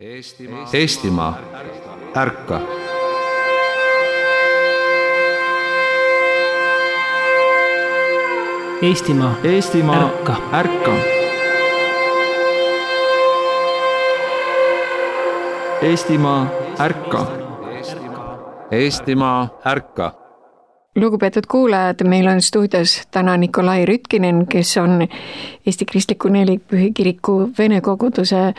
Eestimaa, ärka! Eestimaa, ärka! Ärka! Eestimaa, ärka! Eestimaa, ärka! Lugupeetud kuulajad, meil on stuudios täna Nikolai Rütkinen, kes on Eesti Kristliku Nelipühikiriku Vene koguduse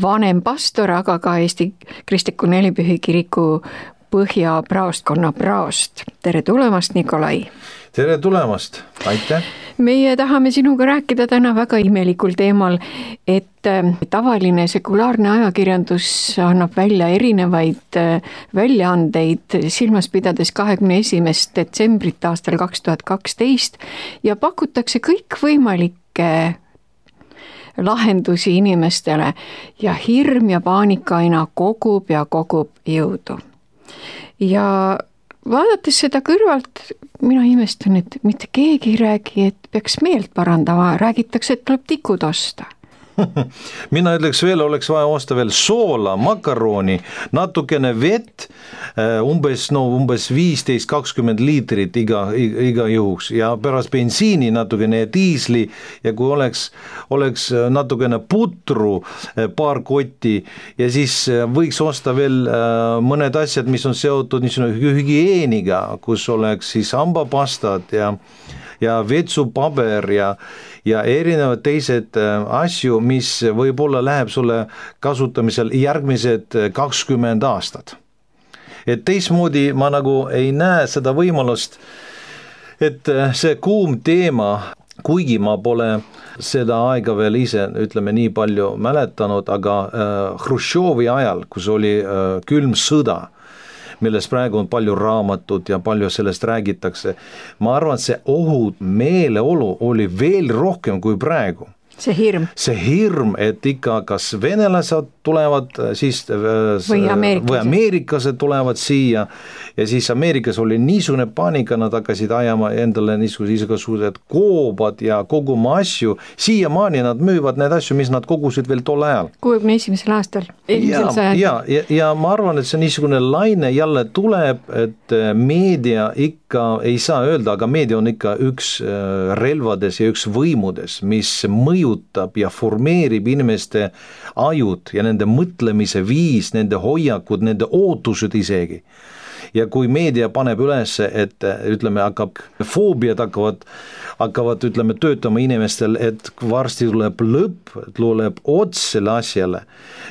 vanem pastor, aga ka Eesti Kristliku Nelipühikiriku Põhja-praostkonna praost. Tere tulemast, Nikolai! Tere tulemast, aitäh! Meie tahame sinuga rääkida täna väga imelikul teemal, et tavaline sekulaarne ajakirjandus annab välja erinevaid väljaandeid silmas pidades 21. detsembrit aastal 2012 ja pakutakse kõikvõimalikke lahendusi inimestele ja hirm ja paanika aina kogub ja kogub jõudu. Ja vaadates seda kõrvalt, mina imestan, et mitte keegi ei räägi, et peaks meelt parandama, räägitakse, et tuleb tikud osta. Mina ütleks veel, oleks vaja osta veel soola, makaroni, natukene vett, umbes 15-20 liitrit iga juhuks ja pärast bensiini natukene diisli ja kui oleks natukene putru, paar kotti ja siis võiks osta veel mõned asjad, mis on seotud hügieeniga, kus oleks siis hambapastad ja vetsupaber ja erinevad teised asju, mis võib-olla läheb sulle kasutamisel järgmised 20 aastat. Et teismoodi ma nagu ei näe seda võimalust, et see kuum teema, kuigi ma pole seda aega veel ise, ütleme nii palju mäletanud, aga Hruštšovi ajal, kus oli külm sõda, millest praegu on palju raamatut ja palju sellest räägitakse. Ma arvan, et see ohud meeleolu oli veel rohkem kui praegu. See hirm, et ikka kas venelased tulevad siis või ameeriklased tulevad siia ja siis Ameerikas oli niisugune paanika, nad hakkasid ajama endale niisugused koobad ja koguma asju, siiamaani nad müüvad need asju, mis nad kogusid veel tol ajal. 61. aastal. Ja ma arvan, et see niisugune laine jälle tuleb, et meedia ikka ei saa öelda, aga meedia on ikka üks relvades ja üks võimudes, mis mõjutab ja formeerib inimeste ajud ja nende mõtlemise viis, nende hoiakud, nende ootused isegi. Ja kui meedia paneb üles, et ütleme, foobiad hakkavad ütleme, töötama inimestel, et varsti tuleb lõpp, tuleb ots selle asjale,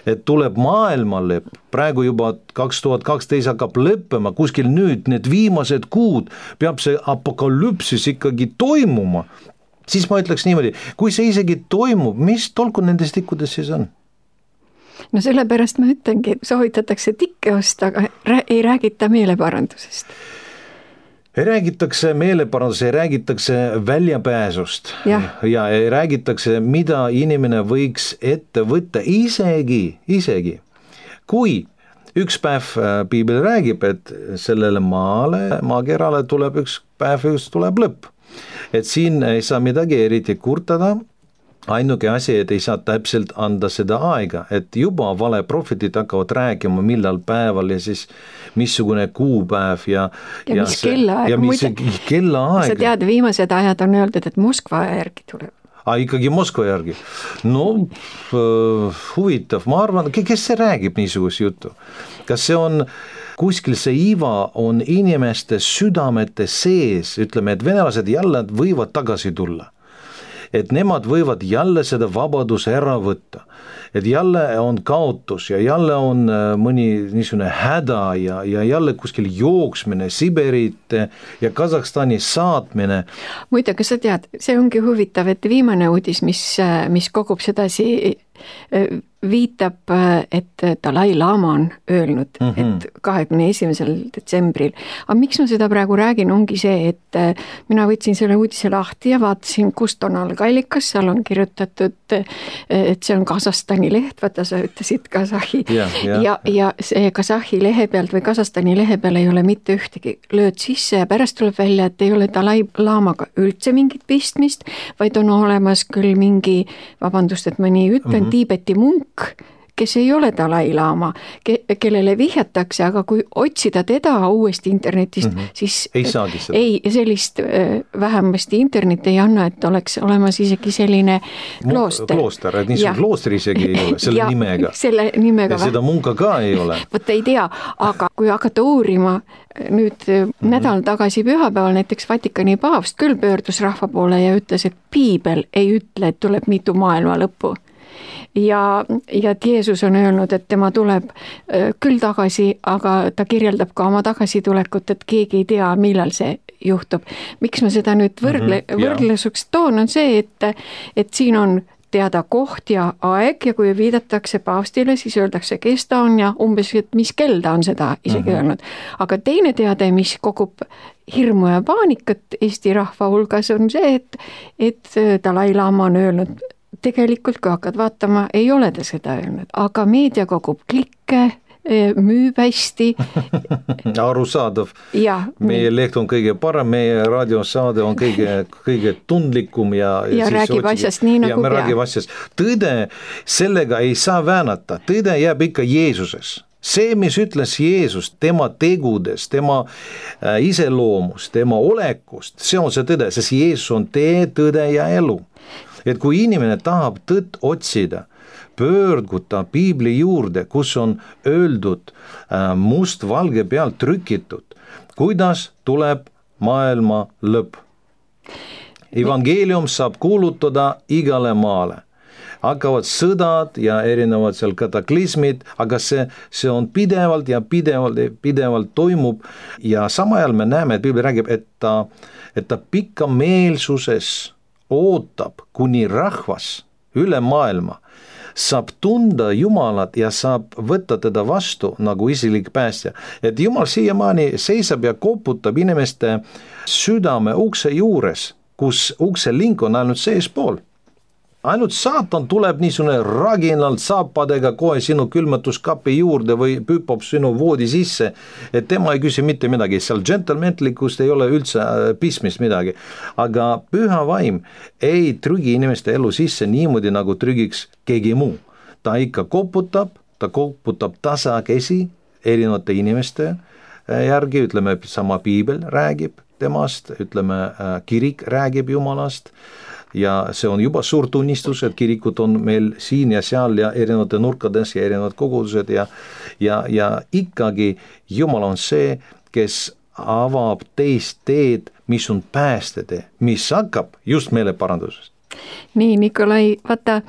et tuleb maailma lõpp, praegu juba 2012 hakkab lõppema, kuskil nüüd need viimased kuud peab see apokalüpsis ikkagi toimuma, siis ma ütleks niimoodi, kui see isegi toimub, mis tolku nendest tikkudest siis on? No sellepärast ma ütlengi, soovitatakse tikke osta, aga ei räägita meeleparandusest. Ei räägitakse meeleparandusest, ei räägitakse väljapääsust ja ei räägitakse, mida inimene võiks ette võtta isegi. Kui üks päev piibel räägib, et sellele maakerale tuleb üks päev, tuleb lõpp. Et siin ei saa midagi eriti kurtada, ainuke asi, et ei saa täpselt anda seda aega, et juba valeprofetid hakkavad rääkima, millal päeval ja siis missugune kuupäev ja mis kellaaeg. Sa tead, viimased ajad on öeldud, et Moskva järgi tuleb. Ikkagi Moskva järgi. No, huvitav, ma arvan, kes see räägib niisugust juttu? Kas see on kuskil see iva on inimeste südamete sees, ütleme, et venelased jälle võivad tagasi tulla. Et nemad võivad jälle seda vabaduse ära võtta, et jälle on kaotus ja jälle on mõni niisugune häda ja jälle kuskil jooksmine, Siberit ja Kasahstani saatmine. Muide, kas sa tead, see ongi huvitav, et viimane uudis, mis kogub sedasi viitab, et Dalai Lama on öelnud, et 21. detsembril. Aga miks ma seda praegu räägin, ongi see, et mina võtsin selle uudise lahti ja vaatasin, kust on algallikas, seal on kirjutatud, et see on Kasahstani leht, vaata sa ütlesid Kasahhi. Ja see Kasahhi lehe pealt või Kasahstani lehe peal ei ole mitte ühtegi lööd sisse ja pärast tuleb välja, et ei ole Dalai Lamaga üldse mingit pistmist, vaid on olemas küll mingi, vabandust, et ma nii ütlen, Tiibeti munk, kes ei ole Dalai-laama, kellele vihjatakse, aga kui otsida teda uuesti internetist, siis ei saagi seda. Ei, sellist vähemasti internet ei anna, et oleks olemas isegi selline klooster. Klooster, et niisugune klooster isegi ei ole, selle nimega. Selle nimega. Ja seda munka ka ei ole. Võt ei tea, aga kui hakata uurima, nüüd nädal tagasi pühapäeval näiteks Vatikani paavst küll pöördus rahva poole ja ütles, et piibel ei ütle, et tuleb mitu maailma lõppu. Ja et Jeesus on öelnud, et tema tuleb küll tagasi, aga ta kirjeldab ka oma tagasitulekut, et keegi ei tea, millal see juhtub. Miks ma seda nüüd võrdlesuks toon, on see, et siin on teada koht ja aeg ja kui viidatakse paavstile, siis öeldakse, kes ta on ja umbes, et mis kell ta on seda isegi öelnud. Aga teine teade, mis kogub hirmu ja paanikat Eesti rahva hulgas, on see, et Dalai-laama on öelnud, tegelikult kui hakkad vaatama, ei ole ta seda öelnud, aga meedia kogub klikke, müüb hästi. Arusaadav. Meie leht on kõige parem, meie raadiosaade on kõige tundlikum ja räägib asjast nii nagu peab. Tõde sellega ei saa väänata, tõde jääb ikka Jeesuses. See, mis ütles Jeesus, tema tegudes, tema iseloomust, tema olekust, see on see tõde, sest Jeesus on tee, tõde ja elu. Et kui inimene tahab tõtt otsida, pöörduda piibli juurde, kus on öeldud must-valge pealt trükitud, kuidas tuleb maailma lõpp. Evangelium saab kuulutada igale maale. Hakkavad sõdad ja erinevad seal kataklismid, aga see on pidevalt ja pidevalt toimub ja sama ajal me näeme, et piibel räägib, et ta pikkameelsuses ootab, kuni rahvas üle maailma saab tunda Jumalat ja saab võtta teda vastu nagu isilik päästja. Et Jumal siiamaani seisab ja koputab inimeste südame ukse juures, kus ukse link on ainult seespool. Ainult saatan tuleb niisugune raginalt saapadega kohe sinu külmatuskapi juurde või püpab sinu voodi sisse, et tema ei küsi mitte midagi, seal džentelmentlikust ei ole üldse pismist midagi. Aga püha vaim ei trügi inimeste elu sisse niimoodi, nagu trügiks keegi muu. Ta ikka koputab tasakesi erinevate inimeste järgi, ütleme sama piibel räägib temast, ütleme kirik räägib Jumalast, ja see on juba suur tunnistus, et kirikud on meil siin ja seal ja erinevate nurkades ja erinevad kogudused ja ikkagi Jumal on see, kes avab teist teed, mis on päästetee, mis hakkab just meeleparandusest. Nii, Nikolai, vaata,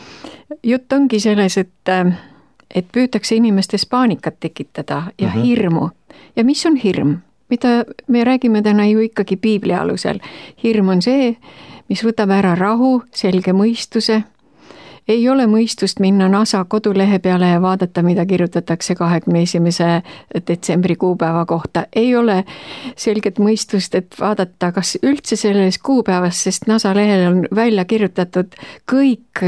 jutt ongi selles, et püütakse inimestes paanikat tekitada ja hirmu. Ja mis on hirm? Mida me räägime täna ju ikkagi piibli alusel. Hirm on see, mis võtab ära rahu, selge mõistuse. Ei ole mõistust minna NASA kodulehe peale ja vaadata, mida kirjutatakse 21. detsembri kuupäeva kohta. Ei ole selget mõistust, et vaadata, kas üldse selles kuupäevas, sest NASA lehel on välja kirjutatud kõik,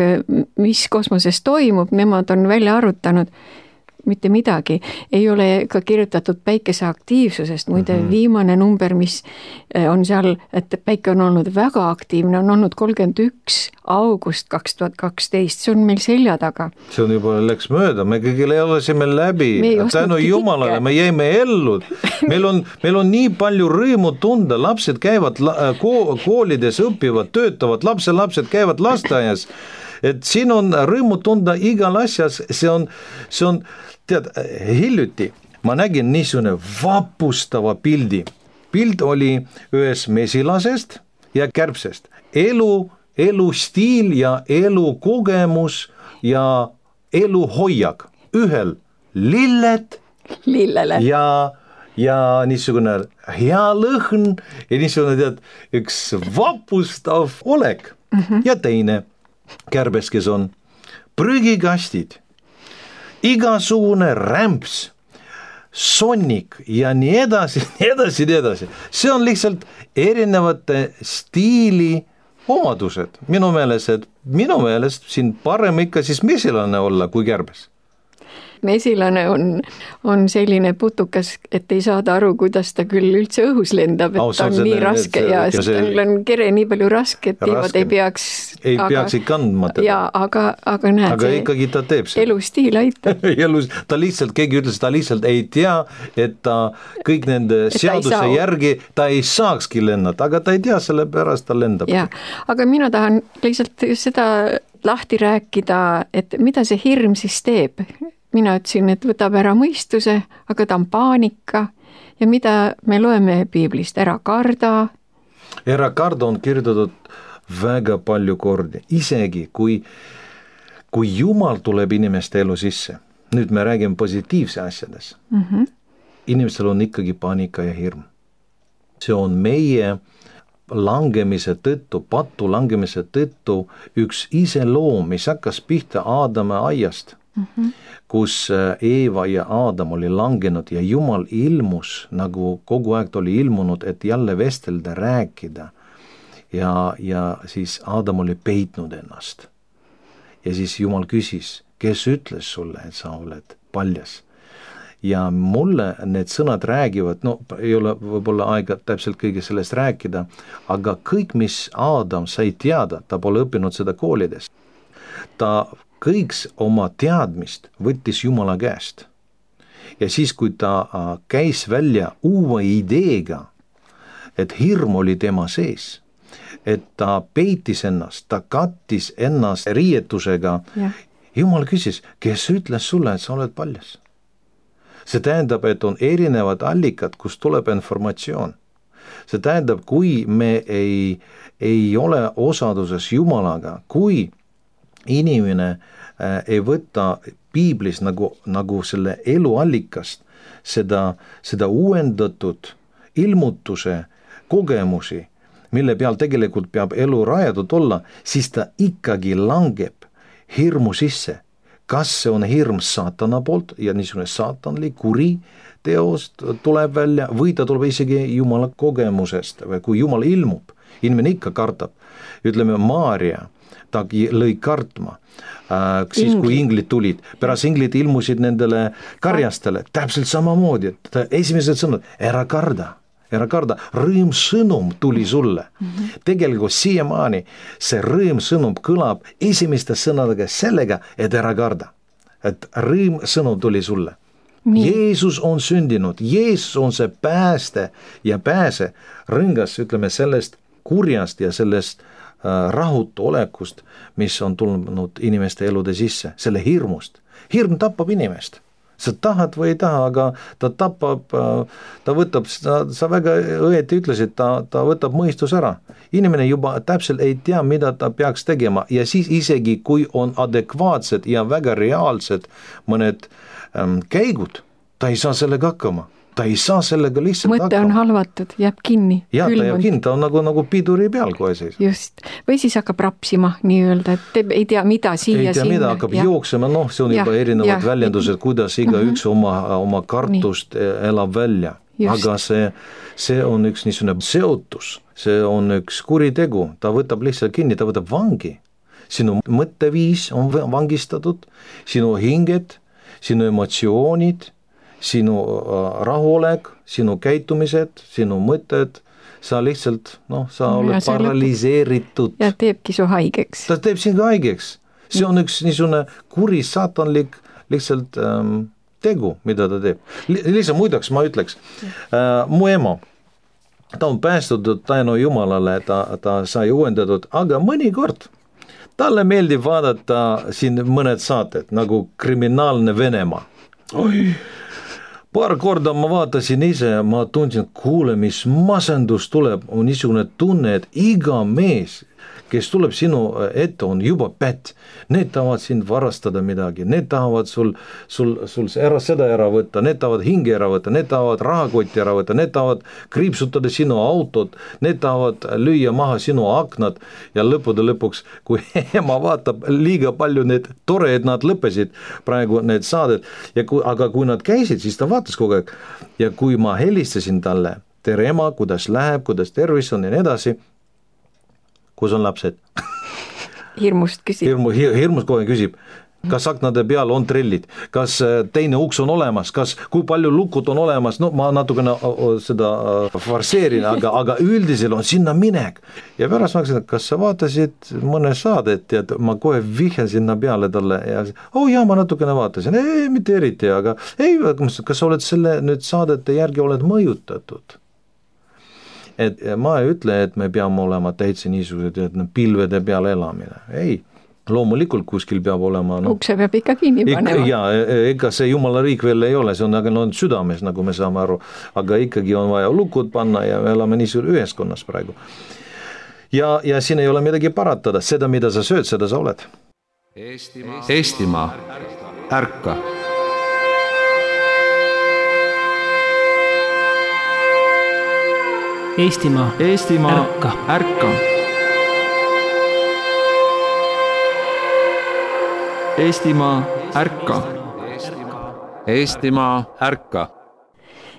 mis kosmoses toimub, nemad on välja arvutanud. Mitte midagi. Ei ole ka kirjutatud päikese aktiivsusest. Muide, viimane number, mis on seal, et päike on olnud väga aktiivne, on olnud 31. august 2012. See on meil selja taga. See on juba läks mööda. Me kõigile elasime läbi. Tänu Jumalale, me jäime ellu. Meil on nii palju rõõmu tunda. Lapsed käivad koolides, õpivad, töötavad. Lapsed käivad lasteaias. Et siin on rõõmu tunda igal asjas. See on tead, hiljuti ma nägin niisugune vapustava pildi. Pild oli ühes mesilasest ja kärbsest. Elustiil ja elukogemus ja eluhoiak. Ühel lillele ja niisugune hea lõhn ja niisugune tead, üks vapustav olek. Ja teine kärbes, kes on prügikastid. Igasugune rämps, sonnik ja nii edasi. See on lihtsalt erinevate stiili omadused. Minu meelest siin parem ikka siis mesilane olla kui kärbes. konkreetne esilane on selline putukas, et ei saada aru, kuidas ta küll üldse õhus lendab, et ta on nii raske ja tal on kere nii palju raske, et tiivad ei peaks kandma teda. Jaa, aga näed, aga ikkagi ta teeb seda. Elustiil aitab. Ta lihtsalt, keegi ütles, ta lihtsalt ei tea, et ta kõik nende seaduse järgi ta ei saakski lennata, aga ta ei tea, selle pärast ta lendab. Jaa, aga mina tahan lihtsalt seda lahti rääkida, et mida see hirm siis teeb. Mina ütlesin, et võtab ära mõistuse, aga ta on paanika ja mida me loeme piiblist, ära karda. Ära karda on kirjutatud väga palju kordi, isegi kui Jumal tuleb inimeste elu sisse, nüüd me räägime positiivse asjades, inimestel on ikkagi paanika ja hirm. See on meie langemise tõttu, patu langemise tõttu üks iseloom, mis hakkas pihta Aadama aiast, kus Eeva ja Aadam oli langenud ja Jumal ilmus, nagu kogu aeg oli ilmunud, et jälle vestelda, rääkida ja siis Aadam oli peitnud ennast. Ja siis Jumal küsis, kes ütles sulle, et sa oled paljas? Ja mulle need sõnad räägivad, ei ole võib-olla aega täpselt kõige sellest rääkida, aga kõik, mis Aadam sai teada, ta pole õppinud seda koolides. Ta kõik oma teadmist võttis Jumala käest. Ja siis, kui ta käis välja uue ideega, et hirm oli tema sees, et ta peitis ennast, ta kattis ennast riietusega, Jumal küsis, kes ütles sulle, et sa oled paljas? See tähendab, et on erinevad allikad, kus tuleb informatsioon. See tähendab, kui me ei ole osaduses Jumalaga, kui inimene ei võta piiblis nagu selle eluallikast seda uuendatud ilmutuse kogemusi, mille peal tegelikult peab elu rajatud olla, siis ta ikkagi langeb hirmu sisse. Kas see on hirm saatana poolt ja niisugune saatanlik kuri teost tuleb välja või ta tuleb isegi Jumala kogemusest või kui Jumal ilmub, inimene ikka kartab. Ütleme, Maaria, ta lõi kartma, siis kui inglid tulid, pärast inglid ilmusid nendele karjastele, täpselt samamoodi, et esimesed sõnad, ära karda, rõõmsõnum tuli sulle. Tegelikult siiamaani see rõõmsõnum kõlab esimeste sõnadega sellega, et ära karda. Et rõõmsõnum tuli sulle. Jeesus on sündinud, Jeesus on see pääste ja pääse rõngas, ütleme, sellest kurjast ja sellest rahutu olekust, mis on tulnud inimeste elude sisse, selle hirmust. Hirm tapab inimest. Sa tahad või ei taha, aga ta tapab, ta võtab, sa väga õieti ütlesid, ta võtab mõistus ära. Inimene juba täpselt ei tea, mida ta peaks tegema ja siis isegi, kui on adekvaatsed ja väga reaalsed mõned käigud, ta ei saa sellega hakkama. Ta ei saa sellega lihtsalt hakkama. Mõte on halvatud, jääb kinni. Ja, ta jääb kinni, ta on nagu piduri peal kohe seis. Just, või siis hakkab rapsima nii-öelda, et ei tea mida siia. Ei tea mida, hakkab jooksema, see on juba erinevad väljendused, kuidas iga üks oma kartust elab välja. Just. Aga see on üks niisugune seotus, see on üks kuritegu, ta võtab lihtsalt kinni, ta võtab vangi. Sinu mõtteviis on vangistatud, sinu hinged, sinu emotsioonid, sinu rahuolek, sinu käitumised, sinu mõtted, sa lihtsalt, sa oled paraliseeritud. Ja teebki su haigeks. Ta teeb sind haigeks. See on üks niisugune kuri saatanlik lihtsalt tegu, mida ta teeb. Lihtsalt muidaks ma ütleks, mu ema, ta on päästutud tänu Jumalale, ta sai uuendatud, aga mõnikord talle meeldib vaadata siin mõned saated, nagu Kriminaalne Venemaa. Paar korda ma vaatasin ise ja ma tundsin, kuule, mis masendus tuleb, on niisugune tunne, et iga mees, kes tuleb sinu ette, on juba pätt. Need tahavad sind varastada midagi, need tahavad sul seda ära võtta, need tahavad hinge ära võtta, need tahavad rahakotti ära võtta, need tahavad kriipsutada sinu autot, need tahavad lüüa maha sinu aknad ja lõpuks, kui ema vaatab liiga palju need tore, et nad lõppesid praegu need saadet, aga kui nad käisid, siis ta vaatas kogu aeg ja kui ma helistasin talle, tere ema, kuidas läheb, kuidas tervis on ja nii edasi, kus on lapsed? Hirmust küsib. Hirmust kohe küsib, kas aknade peal on trellid, kas teine uks on olemas, kas kui palju lukud on olemas, no ma natukene seda farseerin, aga üldiselt on sinna minek. Ja pärast ma ütlesin, et kas sa vaatasid mõne saadet ja ma kohe vihjan sinna peale talle ja jaa, ma natukene vaatasin, ei, mitte eriti, aga ei, kas sa oled selle nüüd saadete järgi oled mõjutatud? Et ma ei ütle, et me peame olema täitsa niisugused, et pilvede peal elamine, ei. Loomulikult kuskil peab olema ukse peab ikka kinni panema. Ja ega see Jumala riik veel ei ole, see on aga südames, nagu me saame aru, aga ikkagi on vaja lukud panna ja me elame niisugune ühiskonnas praegu. Ja siin ei ole midagi paratada, seda mida sa sööd, seda sa oled. Eestimaa, ärka. Eestimaa, ärka. Ärka. Eestimaa, ärka. Eestimaa, ärka.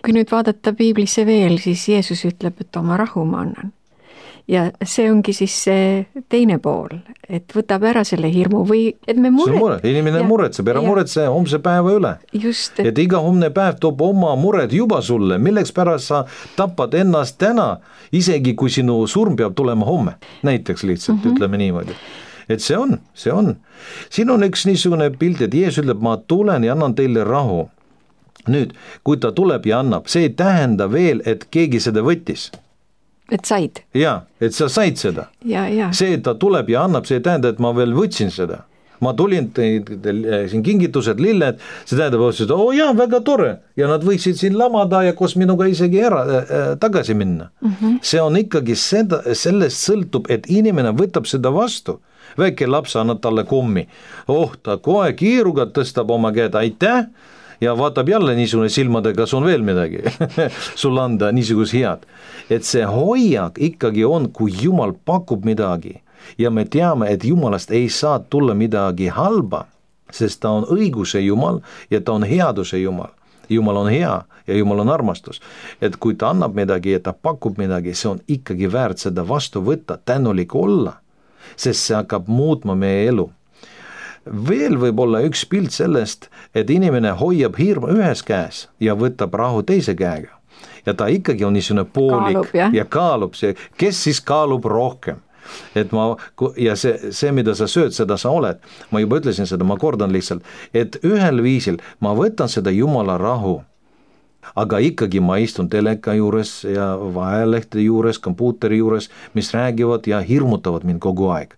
Kui nüüd vaadata piiblisse veel, siis Jeesus ütleb, et oma rahu ma annan. Ja see ongi siis see teine pool, et võtab ära selle hirmu või et me inimene muretseb, ära muretse homse päeva üle. Just, et iga homne päev toob oma mured juba sulle, milleks pärast sa tapad ennast täna, isegi kui sinu surm peab tulema homme, näiteks lihtsalt, ütleme niimoodi. Et see on. Siin on üks niisugune pilt, et Jeesus ütleb, ma tulen ja annan teile rahu. Nüüd, kui ta tuleb ja annab, see ei tähenda veel, et keegi seda võttis. Et said. Jaa, et sa said seda. Ja. See, et ta tuleb ja annab, see ei tähenda, et ma veel võtsin seda. Ma tulin siin kingitused, lilled, see tähendab, et jaa, väga tore. Ja nad võiksid siin lamada ja koos minuga isegi tagasi minna. See on ikkagi sellest sõltub, et inimene võtab seda vastu. Väike laps annab talle kommi. Ta kohe kiiruga tõstab oma käed, aitäh. Ja vaatab jälle niisugune silmadega, kas on veel midagi sul anda niisugus head. Et see hoiak ikkagi on, kui Jumal pakub midagi ja me teame, et Jumalast ei saa tulla midagi halba, sest ta on õiguse Jumal ja ta on headuse Jumal. Jumal on hea ja Jumal on armastus. Et kui ta annab midagi ja ta pakub midagi, see on ikkagi väärt seda vastu võtta, tänulik olla, sest see hakkab muutma meie elu. Veel võib olla üks pilt sellest, et inimene hoiab hirmu ühes käes ja võtab rahu teise käega. Ja ta ikkagi on niisugune poolik ja kaalub see, kes siis kaalub rohkem. Et ja see, mida sa sööd, seda sa oled. Ma juba ütlesin seda, ma kordan lihtsalt, et ühel viisil ma võtan seda Jumala rahu, aga ikkagi ma istun teleka juures ja vahelehte juures, kompuuteri juures, mis räägivad ja hirmutavad mind kogu aeg.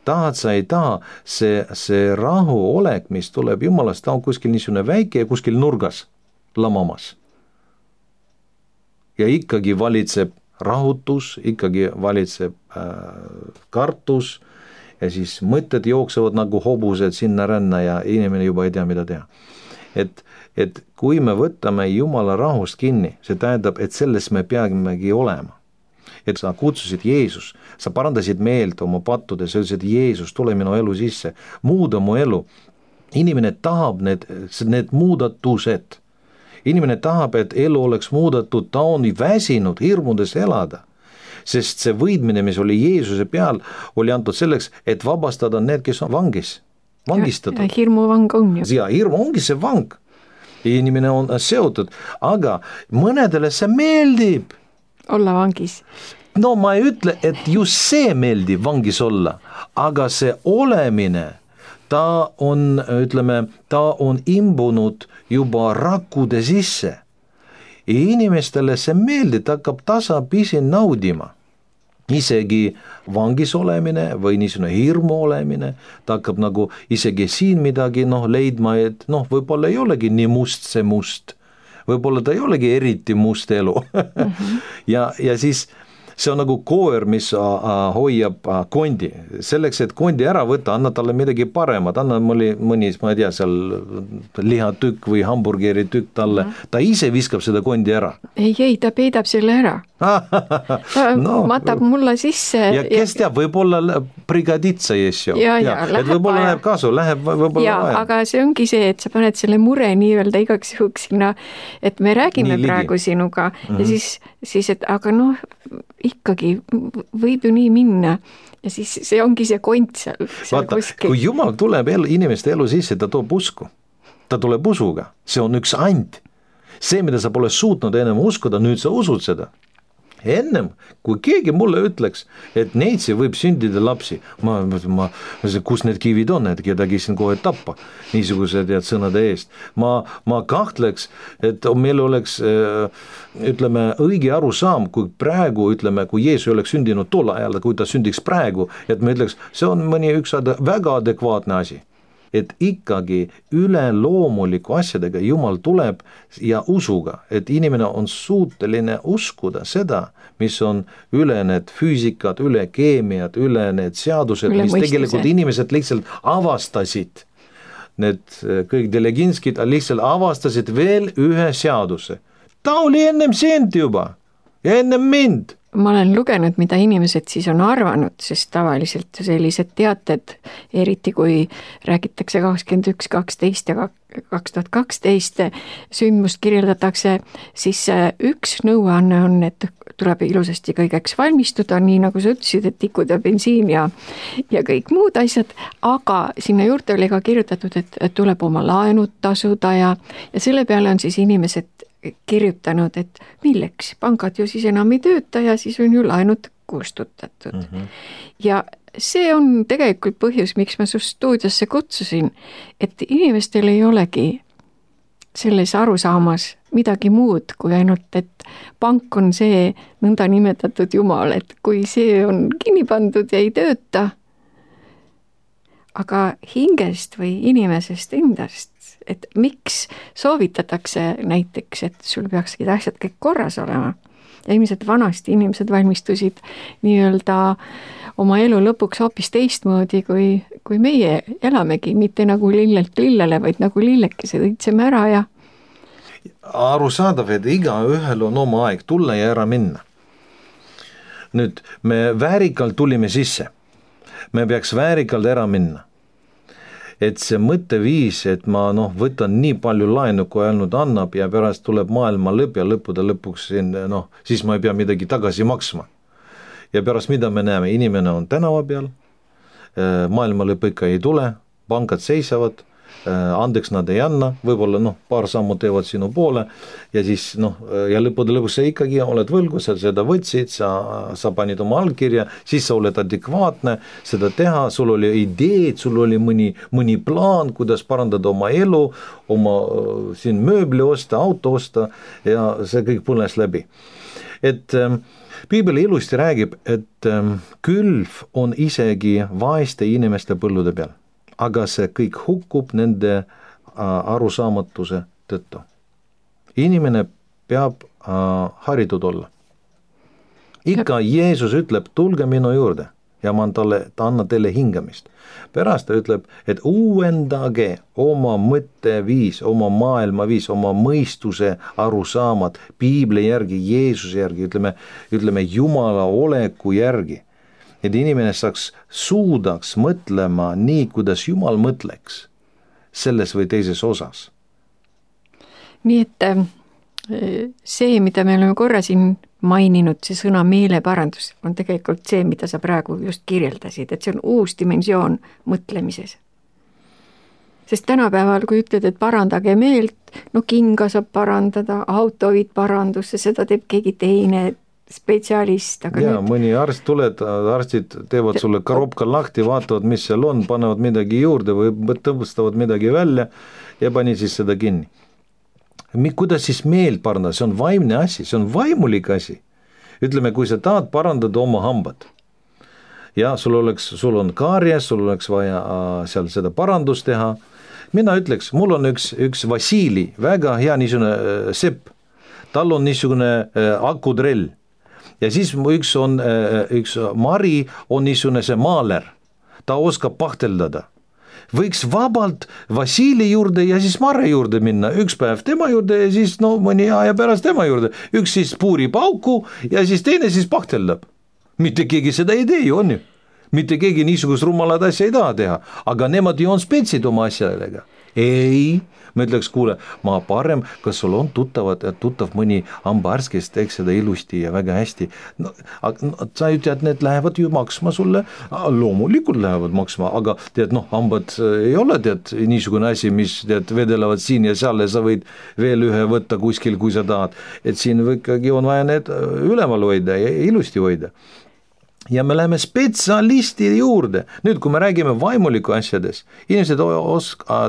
Tahad sa ei taha, see rahu olek, mis tuleb Jumalast, ta on kuskil niisugune väike ja kuskil nurgas lamamas. Ja ikkagi valitseb rahutus, ikkagi valitseb kartus ja siis mõtted jooksevad nagu hobused sinna ränna ja inimene juba ei tea, mida teha. Et kui me võtame Jumala rahust kinni, see tähendab, et selles me peamegi olema. Et sa kutsusid Jeesus, sa parandasid meelt oma pattudes, sa ütlesid, Jeesus, tule minu elu sisse, muuda mu elu. Inimene tahab need muudatused. Inimene tahab, et elu oleks muudatud, ta on väsinud hirmudes elada. Sest see võidmine, mis oli Jeesuse peal, oli antud selleks, et vabastada need, kes on vangistatud. Ja hirmuvang on ju. Ja hirmu ongi see vang. Inimene on seotud, aga mõnedele see meeldib. Olla vangis. No ma ei ütle, et just see meeldib vangis olla, aga see olemine, ta on imbunud juba rakkude sisse. Ja inimestele see meeldib, ta hakkab tasapisi naudima. Isegi vangis olemine või niisugune hirmu olemine, ta hakkab nagu isegi siin midagi leidma, et võib-olla ei olegi nii must see must. Võib-olla ta ei olegi eriti must elu. ja siis see on nagu koer, mis hoiab kondi. Selleks, et kondi ära võtta, anna talle midagi paremat, anna mõni, ma ei tea, seal lihatükk või hamburgeri tükk talle. Ta ise viskab seda kondi ära. Ei, ta peidab selle ära. Ta matab mulla sisse. Ja kes teab, võib-olla prigaditsa jessu. Et võib-olla läheb kasu, läheb võib-olla vaja. Aga see ongi see, et sa paned selle mure nii-öelda igaks juhuks sinna, et me räägime praegu sinuga ja siis, et aga ikkagi võib ju nii minna ja siis see ongi see kont seal vaata, kuskil. kui Jumal tuleb inimeste elu sisse, ta toob usku, ta tuleb usuga, see on üks and. See, mida sa pole suutnud ennem uskuda, nüüd sa usud seda. Ennem, kui keegi mulle ütleks, et neitsi võib sündida lapsi, kus need kivid on, et kedagi siin kohe tappa, niisugused sõnade eest. Ma kahtleks, et meil oleks, ütleme, õige arusaam, kui praegu, ütleme, kui Jeesus oleks sündinud tol ajal, kui ta sündiks praegu, et me ütleks, see on mõni üks väga adekvaatne asi. Et ikkagi üleloomuliku asjadega Jumal tuleb ja usuga, et inimene on suuteline uskuda seda, mis on üle need füüsikad, üle keemiad, üle need seadused, üle mis mõistuse. tegelikult inimesed lihtsalt avastasid. Need kõik Deleginskid lihtsalt avastasid veel ühe seaduse. Ta oli ennem sind juba ja ennem mind. Ma olen lugenud, mida inimesed siis on arvanud, sest tavaliselt sellised teated, eriti kui räägitakse 21.12 ja 2012 sündmust kirjeldatakse, siis üks nõuanne on, et tuleb ilusasti kõigeks valmistuda, nii nagu sa ütlesid, et tikud ja bensiin ja kõik muud asjad, aga sinna juurde oli ka kirjutatud, et tuleb oma laenud tasuda ja selle peale on siis inimesed kirjutanud, et milleks, pangad ju siis enam ei tööta ja siis on ju laenud kustutatud. Ja see on tegelikult põhjus, miks ma su stuudiosse kutsusin, et inimestel ei olegi selles arusaamas midagi muud kui ainult, et pank on see nõnda nimetatud Jumal, et kui see on kinni pandud ja ei tööta, aga hingest või inimesest endast, et miks soovitatakse näiteks, et sul peakski asjad kõik korras olema. Ja ilmselt vanasti inimesed valmistusid nii-öelda oma elu lõpuks hoopis teistmoodi, kui meie elamegi, mitte nagu lillelt lillele, vaid nagu lillekesed õitseme ära ja arusaadav, et igaühel on oma aeg tulla ja ära minna. Nüüd me väärikalt tulime sisse, me peaks väärikalt ära minna. Et see mõtteviis, et ma võtan nii palju laenu, kui ainult annab ja pärast tuleb maailma lõpp ja lõppude lõpuks siis ma ei pea midagi tagasi maksma. Ja pärast mida me näeme, inimene on tänava peal, maailma lõpp ikka ei tule, pangad seisavad, andeks nad ei anna, võib-olla paar sammu teevad sinu poole ja siis ja lõppude lõpuks sa ikkagi oled võlgu, sa seda võtsid, sa panid oma allkirja, siis sa oled adekvaatne seda teha, sul oli ideed, sul oli mõni plaan, kuidas parandada oma elu, oma siin mööbli osta, auto osta ja see kõik põles läbi. Et Piibel ilusti räägib, et külv on isegi vaeste inimeste põllude peal. Aga see kõik hukkub nende arusaamatuse tõttu. Inimene peab haritud olla. Ikka Jeesus ütleb, tulge minu juurde ja ta annab teile hingamist. Pärast ta ütleb, et uuendage oma mõtteviis, oma maailmaviis, oma mõistuse arusaamad Piibli järgi, Jeesuse järgi, ütleme Jumala oleku järgi. Et inimene suudaks mõtlema nii, kuidas Jumal mõtleks selles või teises osas. Nii et see, mida me oleme korra siin maininud, see sõna meeleparandus on tegelikult see, mida sa praegu just kirjeldasid, et see on uus dimensioon mõtlemises. Sest tänapäeval, kui ütled, et parandage meelt, kinga saab parandada, auto viid parandusse, seda teeb keegi teine spetsialist. Ja mõni arst tuleb, arstid teevad sulle karopka lahti, vaatavad, mis seal on, panevad midagi juurde või tõmbustavad midagi välja ja pani siis seda kinni. Kuidas siis meelt parandada? See on vaimne asi, see on vaimulik asi. Ütleme, kui sa tahad parandada oma hambad ja sul on kaaries, sul oleks vaja seal seda parandust teha. Mina ütleks, mul on üks Vasili, väga hea niisugune sepp. Tal on niisugune akudrell. Ja siis üks Mari on niisugune see maaler, ta oskab pahteldada. Võiks vabalt Vasili juurde ja siis Mare juurde minna, üks päev tema juurde ja siis mõni aja pärast tema juurde. Üks siis puurib auku ja siis teine siis pahteldab. Mitte keegi seda ei tee, on ju. Mitte keegi niisugust rumalad asja ei taha teha, aga nemad ju on spetsid oma asjadega. ei, ma ütleks, kuule, ma parem, kas sul on tuttav mõni hambaarst, kes teeks seda ilusti ja väga hästi. No, sa ütled, need lähevad ju maksma sulle, loomulikult lähevad maksma, aga tead, hambad ei ole niisugune asi, mis vedelevad siin ja seal ja sa võid veel ühe võtta kuskil, kui sa tahad. Et siin ikkagi on vaja need üleval hoida ja ilusti hoida. Ja me läheme spetsialisti juurde. Nüüd, kui me räägime vaimuliku asjades, inimesed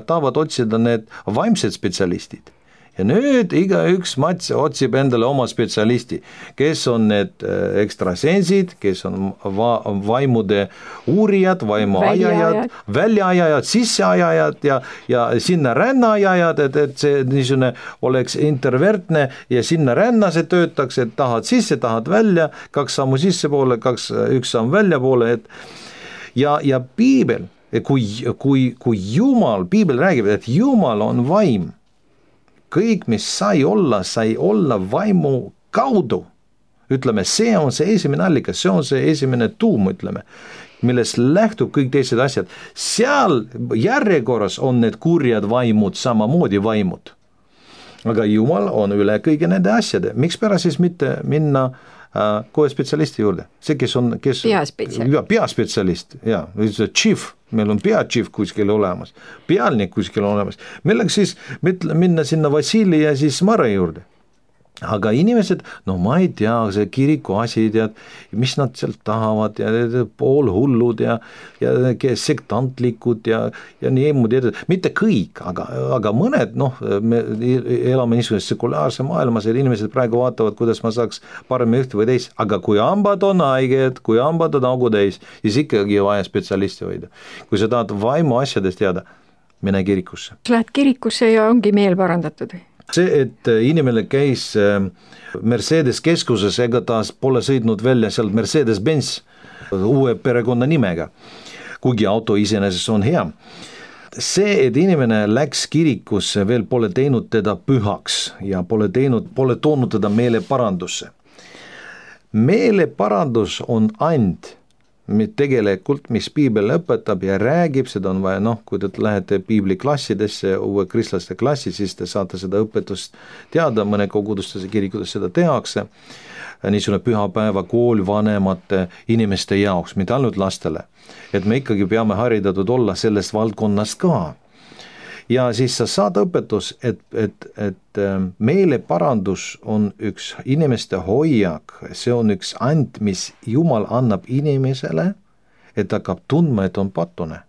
tahavad otsida need vaimsed spetsialistid. Ja nüüd igaüks Mats otsib endale oma spetsialisti, kes on need ekstrasensid, kes on vaimude uurijad, vaimuajajad, väljaajajad, sisseajajad ja sinna rännaajajad, et see niisugune oleks intervertne ja sinna ränna see töötaks, et tahad sisse, tahad välja, 2 sammu sisse poole, 1 samm välja poole, ja piibel, kui Jumal, piibel räägib, et Jumal on vaim, kõik, mis sai olla vaimu kaudu. Ütleme, see on see esimene allikas, see on see esimene tuum, ütleme, millest lähtub kõik teised asjad. Seal järjekorras on need kurjad vaimud, samamoodi vaimud. Aga Jumal on üle kõige nende asjade. Miks pärast siis mitte minna kohe spetsialisti juurde? See, kes on peaspetsialist, chief, meil on peachief kuskil olemas, pealnik kuskil olemas. Millega siis minna sinna Vassili ja siis Mare juurde? Aga inimesed, ma ei tea, see kiriku asi, mis nad sealt tahavad ja poolhullud ja sektantlikud ja nii muud, mitte kõik, aga mõned, me elame niisuguses sekulaarse maailmas, et inimesed praegu vaatavad, kuidas ma saaks paremini ühte või teist, aga kui hambad on haiged, kui hambad on augu täis, siis ikkagi vaja spetsialisti hoida. Kui sa tahad vaimu asjadest teada, mine kirikusse. Lähed kirikusse ja ongi meel parandatud või? See, et inimene käis Mercedes keskuses, ega ta pole sõidnud välja sealt Mercedes-Benz uue perekonna nimega, kuigi auto iseenesest on hea. See, et inimene läks kirikusse, veel pole teinud teda pühaks ja pole toonud teda meeleparandusse. Meeleparandus on and, tegelikult, mis piibel õpetab ja räägib, seda on vaja, kui te lähete piibliklassidesse, uue kristlaste klassi, siis te saate seda õpetust teada, mõne kogudustes ja kirikutes seda tehakse, niisugune pühapäeva kool vanemate inimeste jaoks, mitte ainult lastele, et me ikkagi peame haridatud olla sellest valdkonnast ka. Ja siis sa saad õpetus, et meeleparandus on üks inimeste hoiak, see on üks and, mis Jumal annab inimesele, et hakkab tundma, et on patune.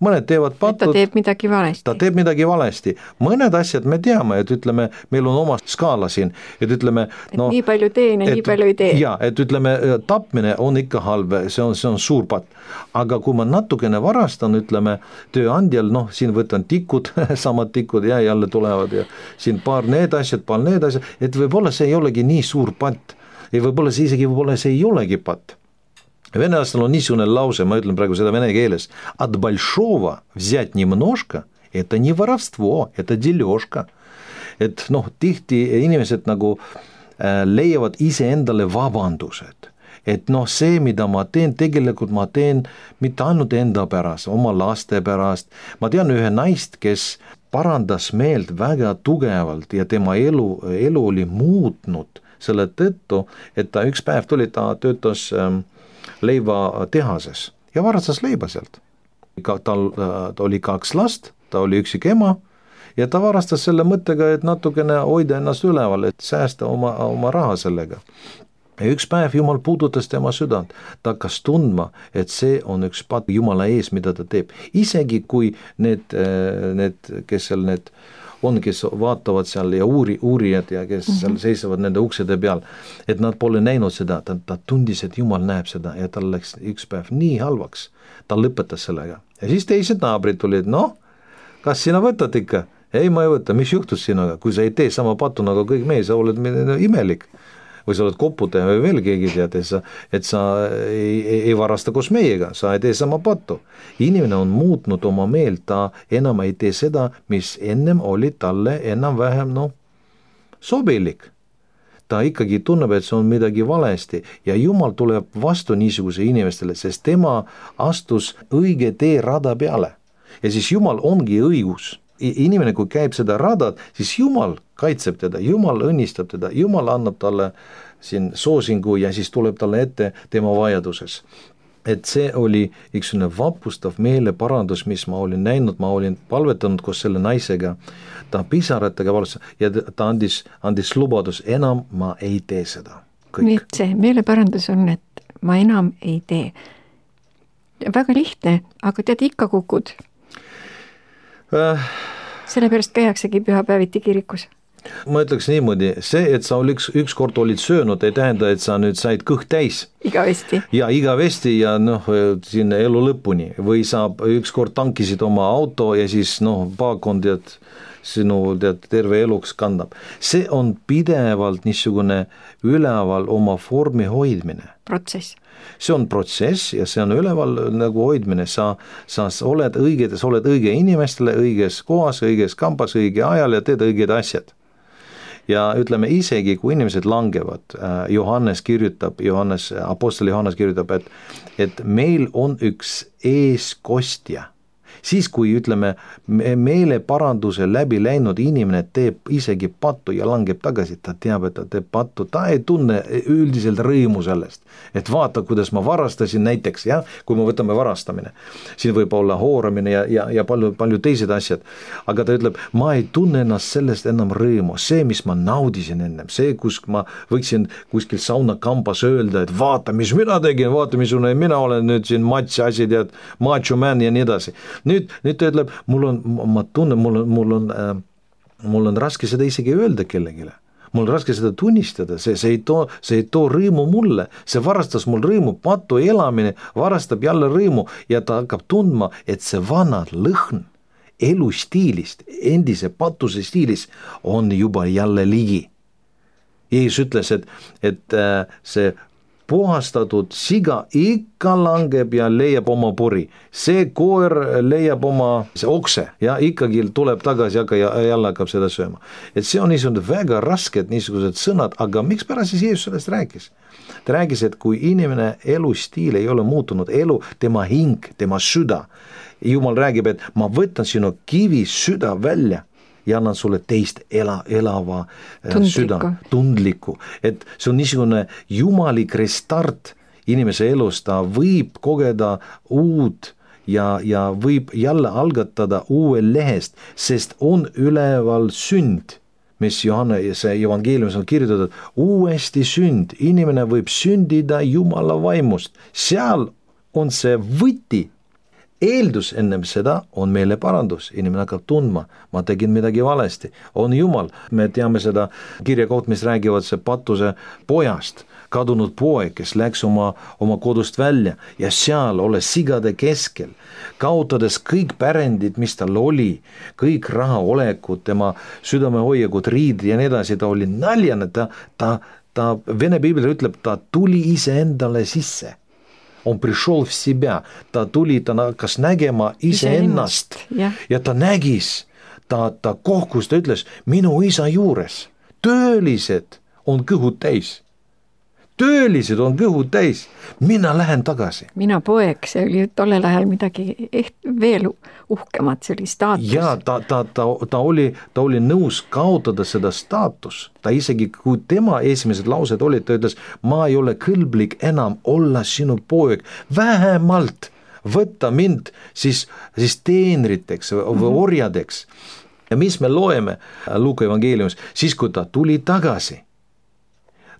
Mõned teevad patud. Ta teeb midagi valesti. Mõned asjad me teame, et ütleme, meil on oma skaala siin, et ütleme, nii palju teen ja nii palju ei tee. Ja, et ütleme, tapmine on ikka halb, see on suur patt. Aga kui ma natukene varastan, ütleme, tööandjal, siin võtan tikud, samad tikud ja jälle tulevad ja siin paar need asjad, et võib-olla see ei olegi nii suur patt. Ja võib-olla see ei olegi patt. Venelastel on niisugune lause, ma ütlen praegu seda vene keeles, от большого взять немножко, это не воровство, это дележка. Et tihti inimesed nagu leiavad ise endale vabandused. Et see, mida ma teen, tegelikult ma teen mitte ainult enda pärast, oma laste pärast. Ma tean ühe naist, kes parandas meelt väga tugevalt ja tema elu oli muutnud selle tõttu, et ta üks päev tuli, ta töötas leiva tehases ja varastas leiba sealt. Tal oli 2 last, ta oli üksik ema ja ta varastas selle mõttega, et natukene hoida ennast üleval, et säästa oma raha sellega. Ja üks päev Jumal puudutas tema südant, ta hakkas tundma, et see on üks patt Jumala ees, mida ta teeb. Isegi kui need kes seal kes vaatavad seal ja uurijad ja kes seal seisavad nende uksede peal, et nad pole näinud seda, ta tundis, et Jumal näeb seda ja tal läks üks päev nii halvaks, ta lõpetas sellega. Ja siis teised naabrid tulid, kas sina võtad ikka? Ei, ma ei võta, mis juhtus sinuga? Kui sa ei tee sama pattu nagu kõik meie, sa oled imelik. Või sa oled koputaja või veel keegi tead, et sa ei varasta koos meiega, sa ei tee sama pattu. Inimene on muutnud oma meelt, ta enam ei tee seda, mis ennem oli talle enam-vähem sobilik. Ta ikkagi tunneb, et see on midagi valesti ja Jumal tuleb vastu niisuguse inimestele, sest tema astus õige tee rada peale. Ja siis Jumal ongi õigus. inimene, kui käib seda radat, siis Jumal kaitseb teda, Jumal õnnistab teda, Jumal annab talle siin soosingu ja siis tuleb talle ette tema vajaduses. Et see oli üks vapustav meeleparandus, mis ma olin näinud, ma olin palvetanud koos selle naisega, ta pisaratega valus ja ta andis lubadus, enam ma ei tee seda. Nii et see meeleparandus on, et ma enam ei tee. Väga lihtne, aga tead, ikka kukud. Sellepärast käiaksegi pühapäeviti kirikus. Ma ütleks niimoodi, see, et sa ükskord olid söönud, ei tähenda, et sa nüüd said kõht täis. Igavesti. Ja igavesti ja siin elu lõpuni. Või sa ükskord tankisid oma auto ja siis paakond sinu terve eluks kandab. See on pidevalt niisugune üleval oma vormi hoidmine. Protsess. See on protsess ja see on üleval nagu hoidmine. Sa oled õige inimestele, õiges kohas, õiges kambas, õige ajal ja teed õiged asjad. Ja ütleme isegi, kui inimesed langevad, Apostel Johannes kirjutab, et meil on üks eeskostja. Siis kui ütleme meeleparanduse läbi läinud inimene teeb isegi pattu ja langeb tagasi, ta teab, et ta teeb pattu, ta ei tunne üldiselt rõõmu sellest, et vaata, kuidas ma varastasin näiteks, kui me võtame varastamine, siin võib olla hooramine ja palju teised asjad, aga ta ütleb, ma ei tunne ennast sellest enam rõõmu, see, mis ma naudisin ennem, see, kus ma võiksin kuskil saunakambas öelda, et vaata, mis mina tegin, vaata, missugune mina olen nüüd siin matsi, macho man ja nii edasi. Nüüd ta ütleb, mul on raske seda isegi öelda kellegile. Mul on raske seda tunnistada, see ei too rõõmu mulle, see varastas mul rõõmu, patu elamine varastab jälle rõõmu ja ta hakkab tundma, et see vana lõhn elustiilist, endise patuse stiilis on juba jälle ligi. Jeesus ütles, et see puhastatud siga ikka langeb ja leiab oma pori. See koer leiab oma okse ja ikkagi tuleb tagasi ja jälle hakkab seda sööma. Et see on niisugune väga rasked niisugused sõnad, aga miks pärast siis Jeesus sellest rääkis? Ta rääkis, et kui inimene elustiil ei ole muutunud, tema hing, tema süda, Jumal räägib, et ma võtan sinu kivi süda välja ja annan sulle teist elava süda, tundliku. Et see on niisugune jumalik restart inimese elus, ta võib kogeda uut ja võib jälle algatada uue lehest, sest on üleval sünd, mis Johannese evangeeliumis on kirjutatud, uuesti sünd, inimene võib sündida Jumala vaimust, seal on see võti. Eeldus ennem seda on meeleparandus, inimene hakkab tundma, ma tegin midagi valesti, on Jumal. Me teame seda kirjakoht, mis räägivad see patuse pojast, kadunud poeg, kes läks oma kodust välja ja seal olles sigade keskel, kaotades kõik pärendid, mis tal oli, kõik rahaolekud, tema südamehoiakud, riid ja nii edasi, ta oli naljane, ta Vene piibel ütleb, ta tuli ise endale sisse. On пришел в себя, ta tuli, ta hakkas nägema iseennast ja ta nägis, ta kohkus, ta ütles, minu isa juures, töölised on kõhud täis, mina lähen tagasi. Mina poeg, see oli tollel ajal midagi veel uhkemat, see oli staatus. Ja ta oli nõus kaotada seda staatus, ta isegi kui tema esimesed laused olid, ta ütles, ma ei ole kõlblik enam olla sinu poeg, vähemalt võtta mind siis teenriteks või orjadeks. Ja mis me loeme Luuka evangeeliumis, siis kui ta tuli tagasi,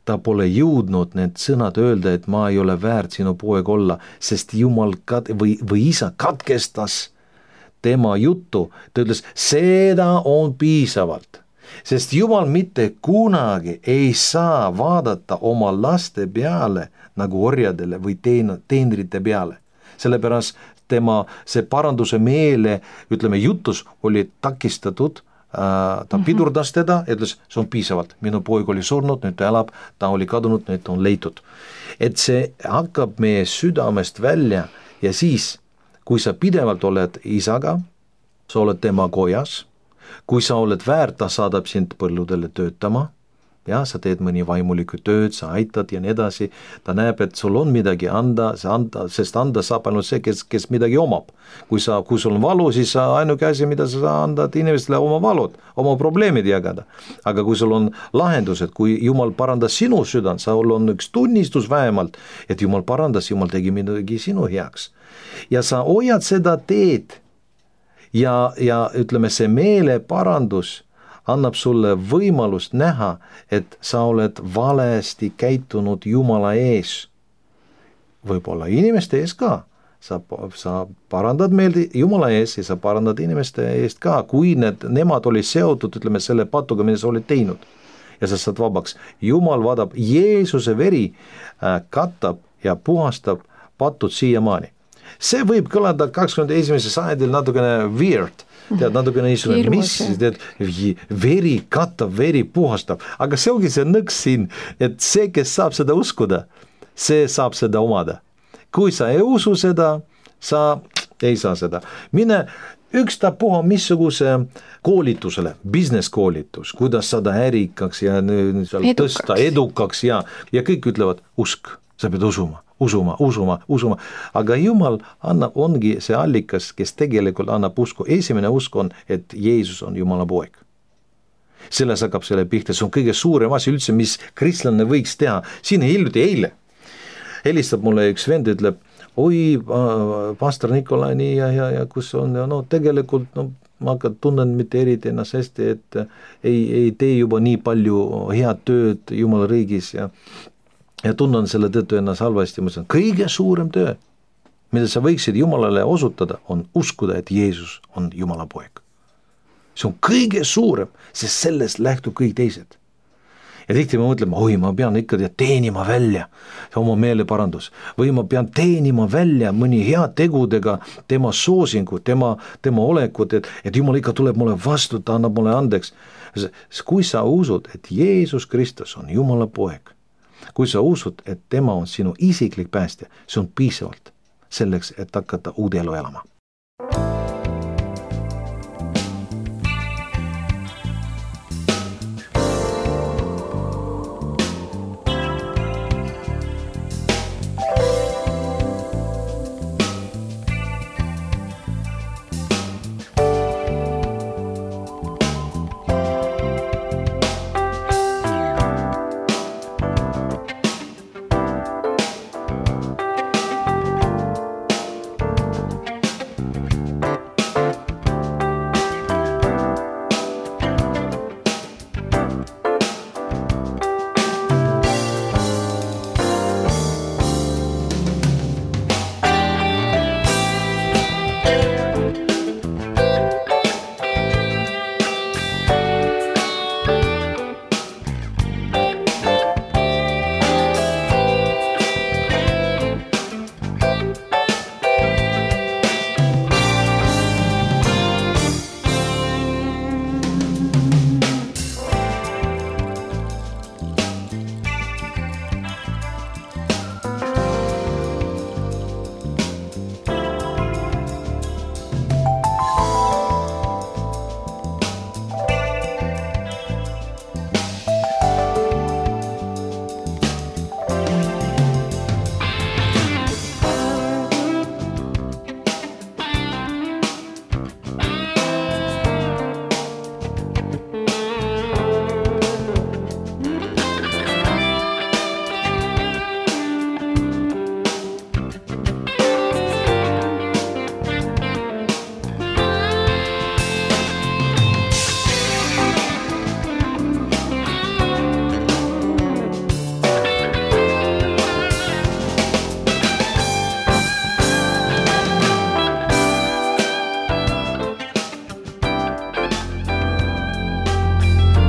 ta pole jõudnud need sõnad öelda, et ma ei ole väärt sinu poeg olla, sest Jumal või isa katkestas tema juttu. Ta ütles, seda on piisavalt, sest Jumal mitte kunagi ei saa vaadata oma laste peale nagu orjadele või teenrite peale. Sellepärast tema see paranduse meele, ütleme, jutus oli takistatud, ta pidurdas teda ja ütles, see on piisavalt, minu poeg oli surnud, nüüd ta elab, ta oli kadunud, nüüd on leitud. Et see hakkab meie südamest välja ja siis, kui sa pidevalt oled isaga, sa oled tema kojas, kui sa oled väärt, ta saadab sind põlludele töötama, ja sa teed mõni vaimulikku tööd, sa aitad ja nii edasi, ta näeb, et sul on midagi anda, sest anda saab ainult see, kes midagi omab. Kui sul on valu, siis ainuke asi, mida sa andad inimestele oma valud, oma probleemid jagada. Aga kui sul on lahendused, kui Jumal parandas sinu südant, sul on üks tunnistus vähemalt, et Jumal parandas, Jumal tegi midagi sinu heaks. Ja sa hoiad seda teed ja ütleme, see meeleparandus annab sulle võimalust näha, et sa oled valesti käitunud Jumala ees. Võib-olla inimeste ees ka. Sa parandad meelde Jumala ees ja sa parandad inimeste eest ka, kui nemad olid seotud, ütleme, selle patuga, mida sa olid teinud. Ja sa saad vabaks. Jumal vaadab, Jeesuse veri katab ja puhastab patud siiamaani. See võib kõlada 21. sajandil natukene weird, tead, natukene niisugune, mis, tead, veri katab, veri puhastab, aga see ongi see nõks siin, et see, kes saab seda uskuda, see saab seda omada. Kui sa ei usu seda, sa ei saa seda. Mine ükstapuha missuguse koolitusele, business koolitus, kuidas saada ärikaks ja tõsta edukaks ja kõik ütlevad, usk, sa pead usuma, aga Jumal ongi see allikas, kes tegelikult annab usku. Esimene usk on, et Jeesus on Jumala poeg. Selles hakkab selle pihta, see on kõige suurem asi üldse, mis kristlane võiks teha. Siin eile helistab mulle üks vend, ütleb, oi, pastor Nikolai, nii ja kus on, ja no tegelikult ma tunnen mitte eriti ennast hästi, et ei tee juba nii palju head tööd Jumala riigis ja tunnen selle tõttu ennast halvasti. Ma ütlen, kõige suurem töö, mida sa võiksid Jumalale osutada, on uskuda, et Jeesus on Jumala poeg. See on kõige suurem, sest sellest lähtub kõik teised. Ja tihti me mõtleme, oi, ma pean ikka teenima välja oma meeleparandus või ma pean teenima välja mõni hea tegudega tema soosingu, tema olekut, et Jumal ikka tuleb mulle vastu, ta annab mulle andeks. Kui sa usud, et Jeesus Kristus on Jumala poeg, kui sa usud, et tema on sinu isiklik päästja, see on piisavalt selleks, et hakata uude elu elama.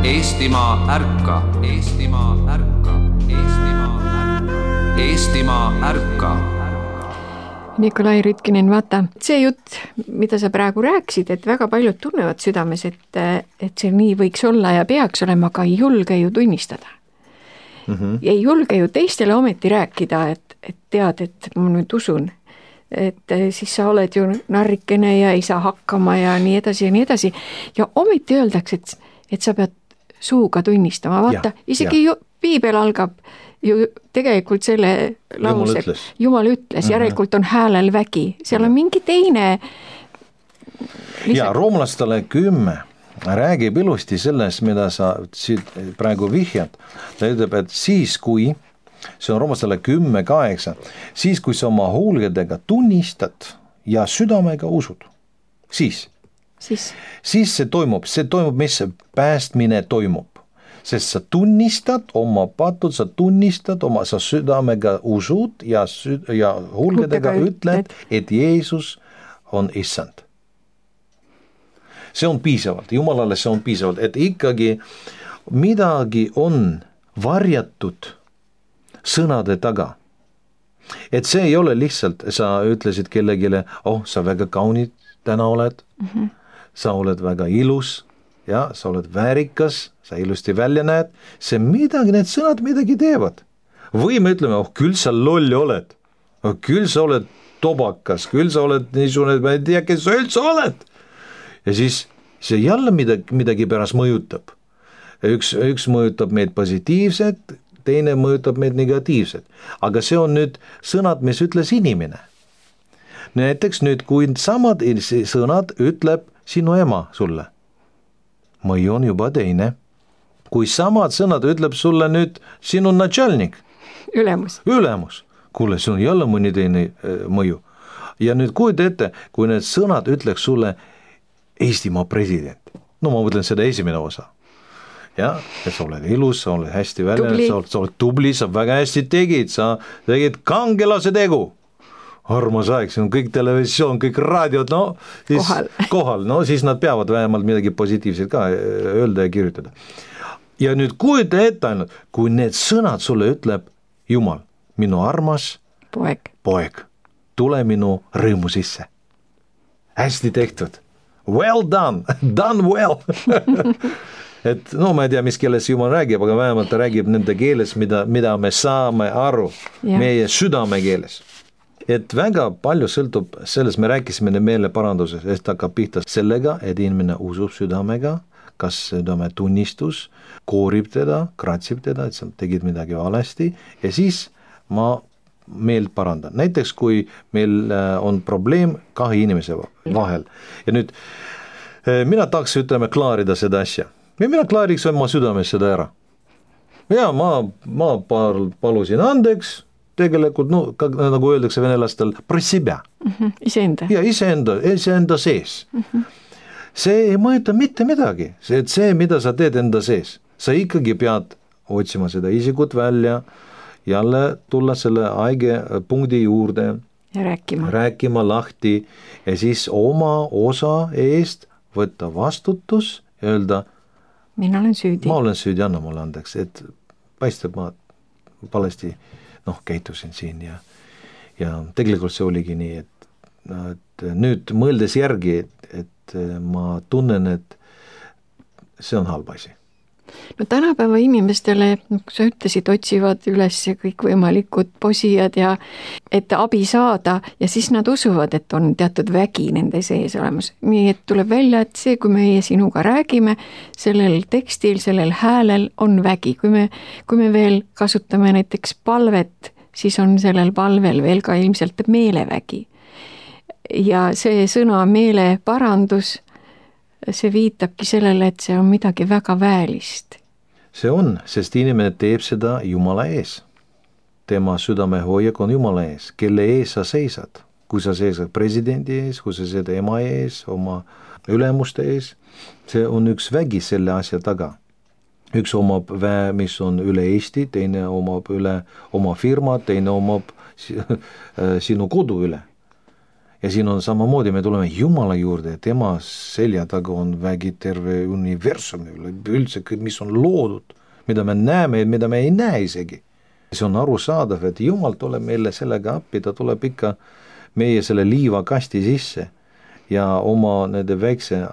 Eestimaa ärka, Eestimaa ärka, Eestimaa ärka, Eestimaa ärka. Nikolai Rütkinen, vaata, see jutt, mida sa praegu rääkisid, et väga paljud tunnevad südames, et see nii võiks olla ja peaks olema, aga ei julge ju tunnistada. Ei julge ju teistele ometi rääkida, et tead, et ma nüüd usun, et siis sa oled ju narrikene ja ei saa hakkama ja nii edasi ja nii edasi. Ja ometi öeldakse, et sa pead suuga tunnistama, vaata, isegi ju piibel algab ju tegelikult selle lause, Jumal ütles, järelikult on häälel vägi, seal on mingi teine. Ja roomlastele 10 räägib ilusti sellest, mida sa praegu vihjad. Ta ütleb, et siis kui, see on roomlastele 10:8, siis kui sa oma huulgedega tunnistad ja südamega usud, siis see toimub, mis päästmine toimub. Sest sa tunnistad oma patud, sa südamega usud ja huulgedega ütled, et Jeesus on issand. See on piisavalt, Jumalale see on piisavalt, et ikkagi midagi on varjatud sõnade taga. Et see ei ole lihtsalt, sa ütlesid kellegile, sa väga kaunid täna oled, sa oled väga ilus, ja sa oled väärikas, sa ilusti välja näed, see midagi, need sõnad midagi teevad. Või me ütleme, küll sa loll oled, küll sa oled tobakas, küll sa oled niisugune, ma ei tea, kes sa üldse oled. Ja siis see jälle midagi pärast mõjutab. Üks mõjutab meid positiivset, teine mõjutab meid negatiivset. Aga see on nüüd sõnad, mis ütles inimene. Näiteks nüüd, kui samad sõnad ütleb sinu ema sulle, mõju on juba teine. Kui samad sõnad ütleb sulle nüüd sinu načalnik, ülemus, kuule, see on jälle mõni teine mõju. Ja nüüd kujuta ette, kui need sõnad ütleks sulle Eestimaa president, no ma mõtlen seda esimene osa, ja sa oled ilus, sa oled hästi välja, sa oled tubli, sa väga hästi tegid, sa tegid kangelase tegu, armas aeg, see on kõik televisioon, kõik raadiod, kohal, siis nad peavad vähemalt midagi positiivset ka öelda ja kirjutada. Ja nüüd kujuta ette ainult, kui need sõnad sulle ütleb Jumal, minu armas poeg, tule minu rõõmu sisse. Hästi tehtud. Well done, done well. Et ma ei tea, mis keeles Jumal räägib, aga vähemalt ta räägib nende keeles, mida me saame aru, meie südame keeles. Et väga palju sõltub sellest, me rääkisime meeleparanduses, et hakkab pihta sellega, et inimene usub südamega, kas südame tunnistus, koorib teda, kratsib teda, et sa tegid midagi valesti ja siis ma meelt parandan. Näiteks kui meil on probleem 2 inimese vahel ja nüüd mina tahaks, klaarida seda asja. Mina klaariks oma südames seda ära. Ja ma palusin andeks, tegelikult, nagu öeldakse venelastel, про себя. Iseenda. Ja iseenda sees. See ei mõjuta mitte midagi. See, mida sa teed enda sees. Sa ikkagi pead otsima seda isikut välja, jälle tulla selle aige punkti juurde ja rääkima lahti ja siis oma osa eest võtta vastutus ja öelda, ma olen süüdi, anna mulle andeks, et paistab ma valesti käitusin siin ja tegelikult see oligi nii, et nüüd mõeldes järgi, et ma tunnen, et see on halb asi. No tänapäeva inimestele, sa ütlesid, otsivad üles kõik võimalikud posijad ja et abi saada ja siis nad usuvad, et on teatud vägi nende sees olemas. Nii et tuleb välja, et see, kui meie sinuga räägime, sellel tekstil, sellel häälel on vägi. Kui me veel kasutame näiteks palvet, siis on sellel palvel veel ka ilmselt meelevägi. Ja see sõna meeleparandus, see viitabki sellele, et see on midagi väga väelist. See on, sest inimene teeb seda Jumala ees. Tema südamehoiak on Jumala ees, kelle ees sa seisad. Kui sa seisad presidendi ees, kui sa seisad ema ees, oma ülemuste ees, see on üks vägi selle asja taga. Üks omab väe, mis on üle Eesti, teine omab üle oma firma, teine omab sinu kodu üle. Ja siin on samamoodi, me tuleme Jumala juurde ja tema selja taga on vägi terve universumi üldse, mis on loodud, mida me näeme ja mida me ei näe isegi. See on arusaadav, et Jumal tuleb meile sellega appi, ta tuleb ikka meie selle liivakasti sisse ja oma nende väikse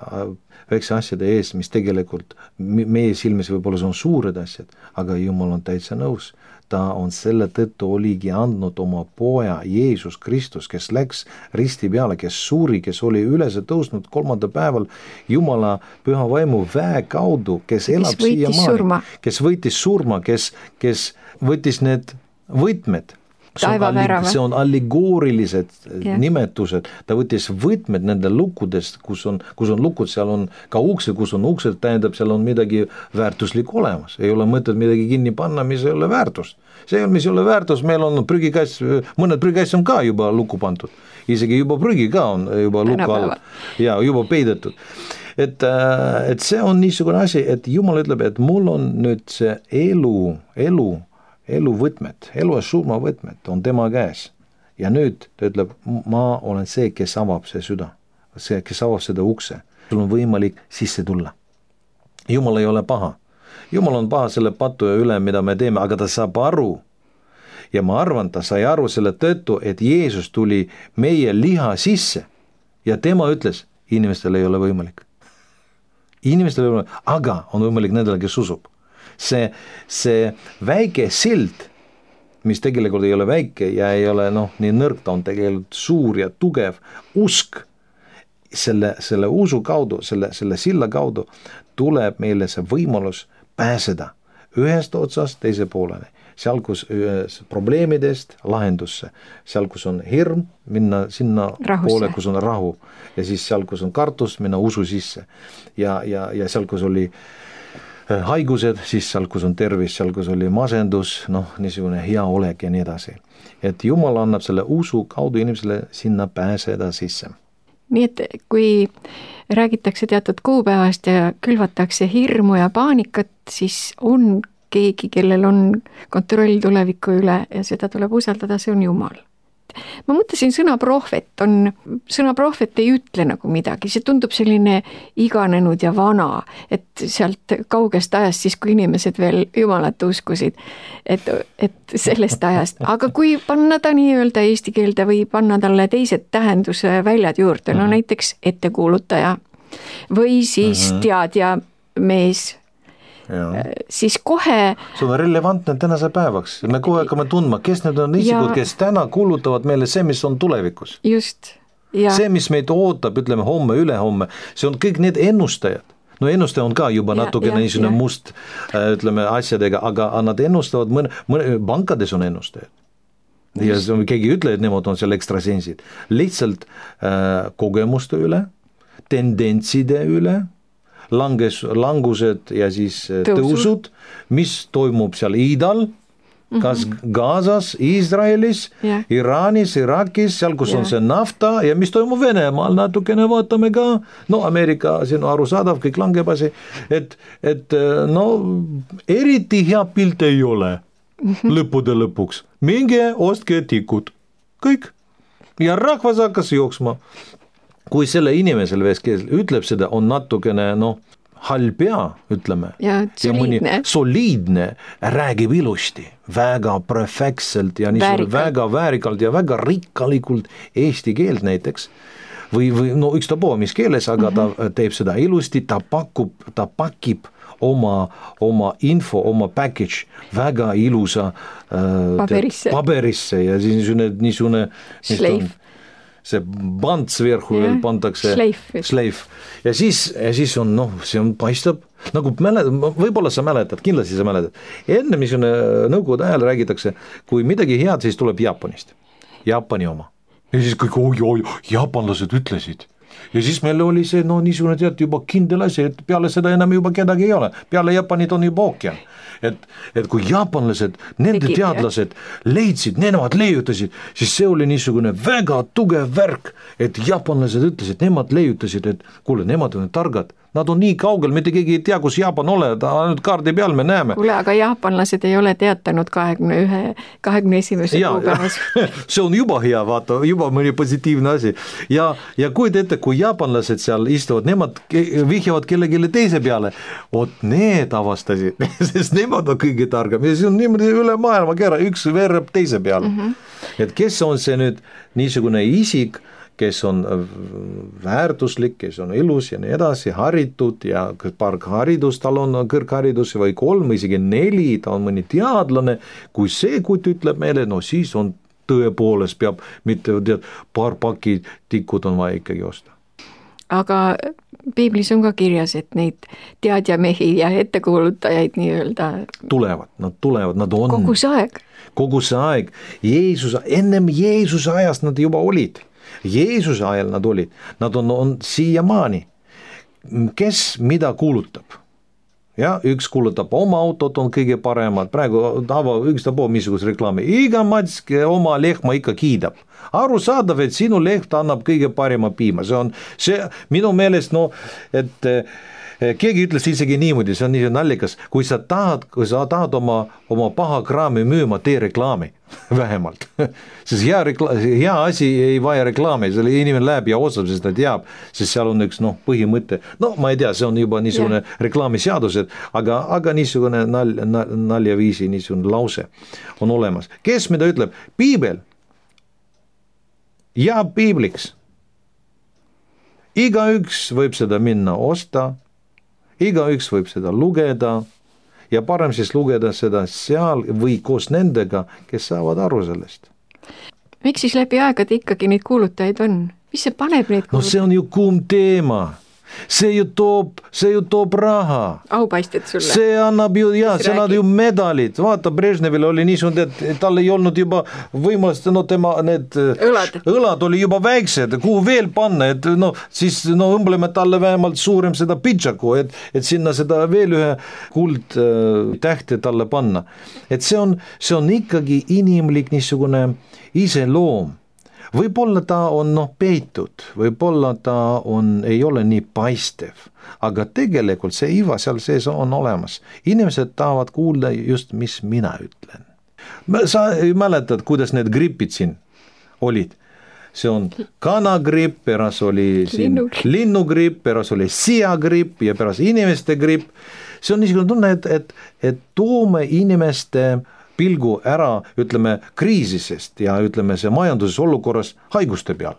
asjade ees, mis tegelikult meie silmis võib-olla on suured asjad, aga Jumal on täitsa nõus. ta on selle tõttu oligi andnud oma poja Jeesus Kristus, kes läks risti peale, kes suri, kes oli üles tõusnud 3. päeval Jumala püha vaimu väe kaudu, kes elab siiamaani, kes võitis surma, kes võttis need võtmed. See on allegoorilised nimetused, ta võttis võtmed nende lukkudest, kus on lukud, seal on ka uksed, kus on uksed, tähendab, seal on midagi väärtuslik olemas, ei ole mõtet midagi kinni panna, mis ei ole väärtust. See, mis ei ole väärtus, meil on prügikass, mõned prügikass on ka juba lukku pandud, isegi juba prügi ka on juba lukku all ja juba peidetud. Et see on niisugune asi, et Jumal ütleb, et mul on nüüd see elu võtmed, elu ja surma võtmed on tema käes. Ja nüüd ta ütleb, ma olen see, kes avab see süda, see, kes avab seda ukse. Sul on võimalik sisse tulla. Jumal ei ole paha. Jumal on paha selle patu üle, mida me teeme, aga ta saab aru. Ja ma arvan, ta sai aru selle tõttu, et Jeesus tuli meie liha sisse. Ja tema ütles, inimestel ei ole võimalik. Inimestel ei ole võimalik, aga on võimalik nendele, kes usub. See väike sild, mis tegelikult ei ole väike ja ei ole nii nõrk, ta on tegelikult suur ja tugev usk, selle usu kaudu, selle silla kaudu tuleb meile see võimalus pääseda ühest otsast teise poolele, seal kus probleemidest lahendusse, seal kus on hirm, minna sinna poole, kus on rahu ja siis seal, kus on kartus, minna usu sisse ja seal, kus oli haigused, siis seal, kus on tervis, seal, kus oli masendus, niisugune hea olek ja nii edasi. Et Jumal annab selle usu kaudu inimesele sinna pääseda sisse. Nii et kui räägitakse teatud kuupäevast ja külvatakse hirmu ja paanikat, siis on keegi, kellel on kontroll tuleviku üle ja seda tuleb usaldada, see on Jumal. Ma mõtlesin, sõna prohvet ei ütle nagu midagi, see tundub selline iganenud ja vana, et sealt kaugest ajast, siis kui inimesed veel Jumalat uskusid, et sellest ajast, aga kui panna ta nii-öelda eesti keelde või panna talle teised tähenduse väljad juurde, näiteks ettekuulutaja või siis teadja mees, siis kohe see on relevantne tänase päevaks, me kohe hakkame tundma, kes need on isikud, kes täna kuulutavad meile see, mis on tulevikus. Just. See, mis meid ootab, ütleme homme, ülehomme, see on kõik need ennustajad. Ennustaja on ka juba natukene niisugune must, ütleme asjadega, aga nad ennustavad, pankades on ennustajad. Ja keegi ütle, et nemad on seal ekstrasensid. Lihtsalt kogemuste üle, tendentside üle, langused ja siis tõusud, mis toimub seal Iidal, kas Gazas, Iisraelis, Iraanis, Irakis, seal kus on see nafta ja mis toimub Venemaal, natukene vaatame ka, Ameerika, see on arusaadav, kõik langeb asi, et eriti hea pilt ei ole lõppude lõpuks, minge ostke tikud, kõik, ja rahvas hakkas jooksma. Kui selle inimesel kes ütleb seda, on natukene halpea, ütleme, ja mõni soliidne, räägib ilusti, väga perfektselt ja väga väärikalt ja väga rikkalikult eesti keelt näiteks, või ükstapuha mis keeles, aga ta teeb seda ilusti, ta pakib oma info, oma package väga ilusa paberisse ja siis niisugune see band sverhu veel pandakse, šleif. Ja siis on, see on paistab, nagu võib-olla sa mäletad, kindlasti sa mäletad. Enne missugune nõukogude ajal räägitakse, kui midagi head, siis tuleb Jaapanist, Jaapani oma. Ja siis kõik, jaapanlased ütlesid. Ja siis meil oli see, niisugune tead juba kindel asi, et peale seda enam juba kedagi ei ole. Peale Jaapanit on juba ookean. Et kui jaapanlased, nende teadlased leidsid, nemad leiutasid, siis see oli niisugune väga tugev värk, et jaapanlased ütlesid, nemad leiutasid, et kuule, nemad on targad, nad on nii kaugel, mitte keegi ei tea, kus Jaapan ole, ainult kaardi peal me näeme. Kuule, aga jaapanlased ei ole teatanud 21. kuupäevas. See on juba hea, vaata, juba mõni positiivne asi. Ja kuid ette, kui jaapanlased seal istuvad, nemad vihjavad kellegile teise peale, need avastasid, sest nemad on kõige targam ja see on niimoodi üle maailma kera, üks veereb teise peale. Et kes on see nüüd niisugune isik, kes on väärtuslik, kes on ilus ja nii edasi, haritud ja paar haridust, tal on kõrgharidus või 3, isegi 4, ta on mõni teadlane, kui see kutt ütleb meile, no siis on tõepoolest peab, mitte tead, paar paki tikud on vaja ikkagi osta. Aga piiblis on ka kirjas, et neid teadjamehi ja ettekuulutajaid nii-öelda tulevad, nad on. Kogu see aeg. Kogu see aeg. Ennem Jeesuse ajast nad juba olid. Jeesuse ajal nad olid. Nad on siiamaani. Kes mida kuulutab? Ja, üks kuulutab oma autot on kõige paremad, praegu ükstapuha missuguse reklaami, iga mats oma lehma ikka kiidab. Aru saadav, et sinu lehm annab kõige parema piima, see minu meelest, et keegi ütles isegi niimoodi, see on nii nallikas, kui sa tahad oma paha kraami müüma, tee reklaami vähemalt, sest hea asi ei vaja reklaami, selle inimene läheb ja ostab, sest ta teab, sest seal on üks põhimõte, ma ei tea, see on juba niisugune reklaamiseadused, aga niisugune naljaviisi, niisugune lause on olemas. Kes mida ütleb? Piibel ja piibliks. Igaüks võib seda minna osta, igaüks võib seda lugeda ja parem siis lugeda seda seal või koos nendega, kes saavad aru sellest. Miks siis läbi aegade ikkagi neid kuulutajaid on? Mis see paneb neid kuulutajaid? No see on ju kuum teema. See ju toob raha. Aupaisted sulle. See annab ju, see annab ju medalid. Vaata, Brežnevil oli niisugune, et tal ei olnud juba võimalust, tema need õlad oli juba väiksed, kuhu veel panna, et siis õmbleme talle vähemalt suurem seda pitšaku, et sinna seda veel ühe kuldtähte talle panna. Et see on ikkagi inimlik niisugune iseloom. Võib-olla ta on peitud, võib-olla ta ei ole nii paistev, aga tegelikult see iva seal sees on olemas. Inimesed tahavad kuulda just, mis mina ütlen. Sa mäletad, kuidas need gripid siin olid? See on kanagripp, pärast oli linnugripp, pärast oli siagripp ja pärast inimeste gripp. See on niisugune tunne, et toome inimeste pilgu ära, ütleme, kriisisest ja ütleme, see majanduses olukorras haiguste peale.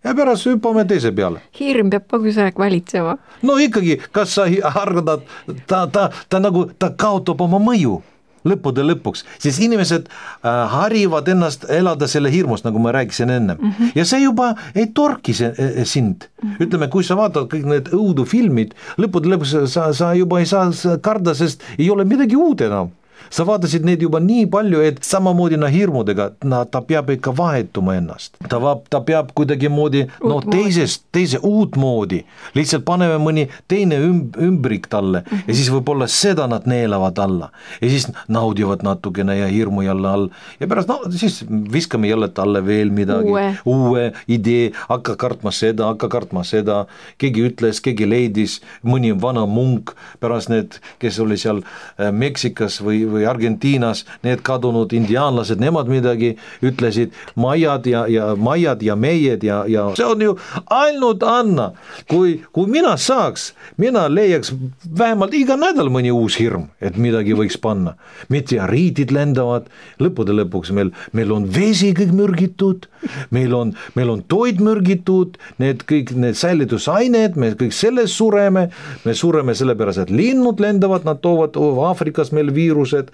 Ja pärast hüppame teise peale. Hirm peab kogu see aeg valitsema. No ikkagi, kas sa arvad, ta kaotab oma mõju lõppude lõpuks, siis inimesed harivad ennast elada selle hirmust, nagu ma rääkisin ennem. Ja see juba ei torki sind. Ütleme, kui sa vaatad kõik need õudufilmid, lõppude lõpuks sa juba ei saa karda, sest ei ole midagi uud enam. Sa vaatasid neid juba nii palju, et samamoodi hirmudega, ta peab ikka vahetuma ennast. Ta peab kuidagi moodi, teise uut moodi. Lihtsalt paneme mõni teine ümbrik talle ja siis võib-olla seda nad neelavad alla. Ja siis naudivad natukene ja hirmu jälle all. Ja pärast, siis viskame jälle talle veel midagi. Uue idee, hakka kartma seda. Keegi ütles, keegi leidis, mõni vana munk, pärast need, kes oli seal Meksikas või Argentiinas, need kadunud indiaanlased, nemad midagi ütlesid, majad ja meied ja see on ju ainult Anna. Kui mina saaks, mina leiaks vähemalt iga nädal mõni uus hirm, et midagi võiks panna. Meteoriitid lendavad, lõppude lõpuks meil on vesi kõik mürgitud, meil on toit mürgitud, kõik need säilitusaineed, me kõik sellest sureme, me sureme sellepärast, et linnud lendavad, nad toovad Aafrikas meil viirused.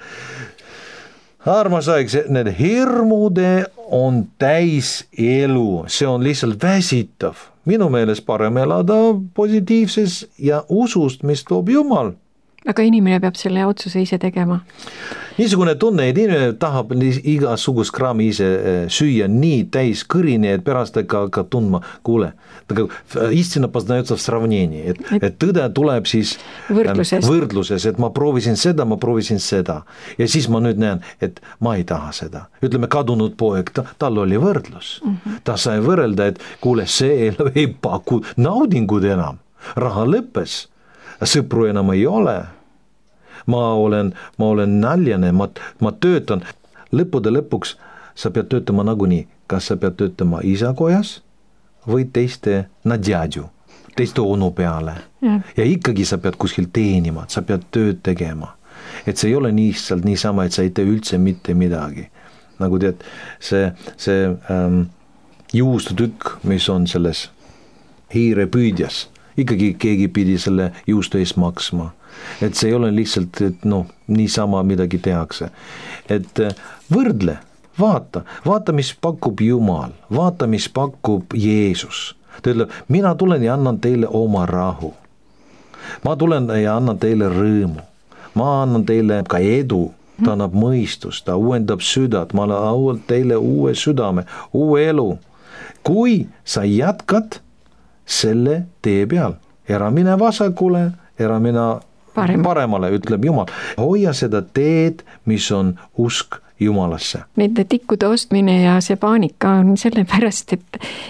Armas aeg, need hirmude on täis elu, see on lihtsalt väsitav. Minu meelest parem elada positiivses ja usust, mis toob Jumal. Aga inimene peab selle otsuse ise tegema. Niisugune tunne, et inimene tahab igasugust kraami ise süüa nii täis kõrini, et pärast ka tundma, kuule, istina poznается в сравнении, et tõde tuleb siis võrdluses, et ma proovisin seda ja siis ma nüüd näen, et ma ei taha seda. Ütleme, kadunud poeg, tal oli võrdlus. Ta sai võrrelda, et kuule, see ei paku naudingud enam, raha lõppes. Sõpru enam ei ole. Ma olen naljane, ma töötan. Lõppude lõpuks sa pead töötama nagunii. Kas sa pead töötama isakojas või teiste nadjadju, teiste onu peale. Ja ikkagi sa pead kuskil teenima, sa pead tööd tegema. Et see ei ole niisama, et sa ei tee üldse mitte midagi. Nagu tead, see juustutükk, mis on selles hiirepüüdjas, ikkagi keegi pidi selle juustu eest maksma. Et see ei ole lihtsalt, et niisama midagi tehakse. Et võrdle, vaata, mis pakub Jumal, vaata, mis pakub Jeesus. Ta ütleb, mina tulen ja annan teile oma rahu. Ma tulen ja annan teile rõõmu. Ma annan teile ka edu. Ta annab mõistust, ta uuendab südad, ma annan teile uue südame, uue elu. Kui sa jätkad selle tee peal, ära mine vasakule, ära mine paremale, ütleb Jumal. Hoia seda teed, mis on usk Jumalasse. Nende tikkude ostmine ja see paanika on sellepärast,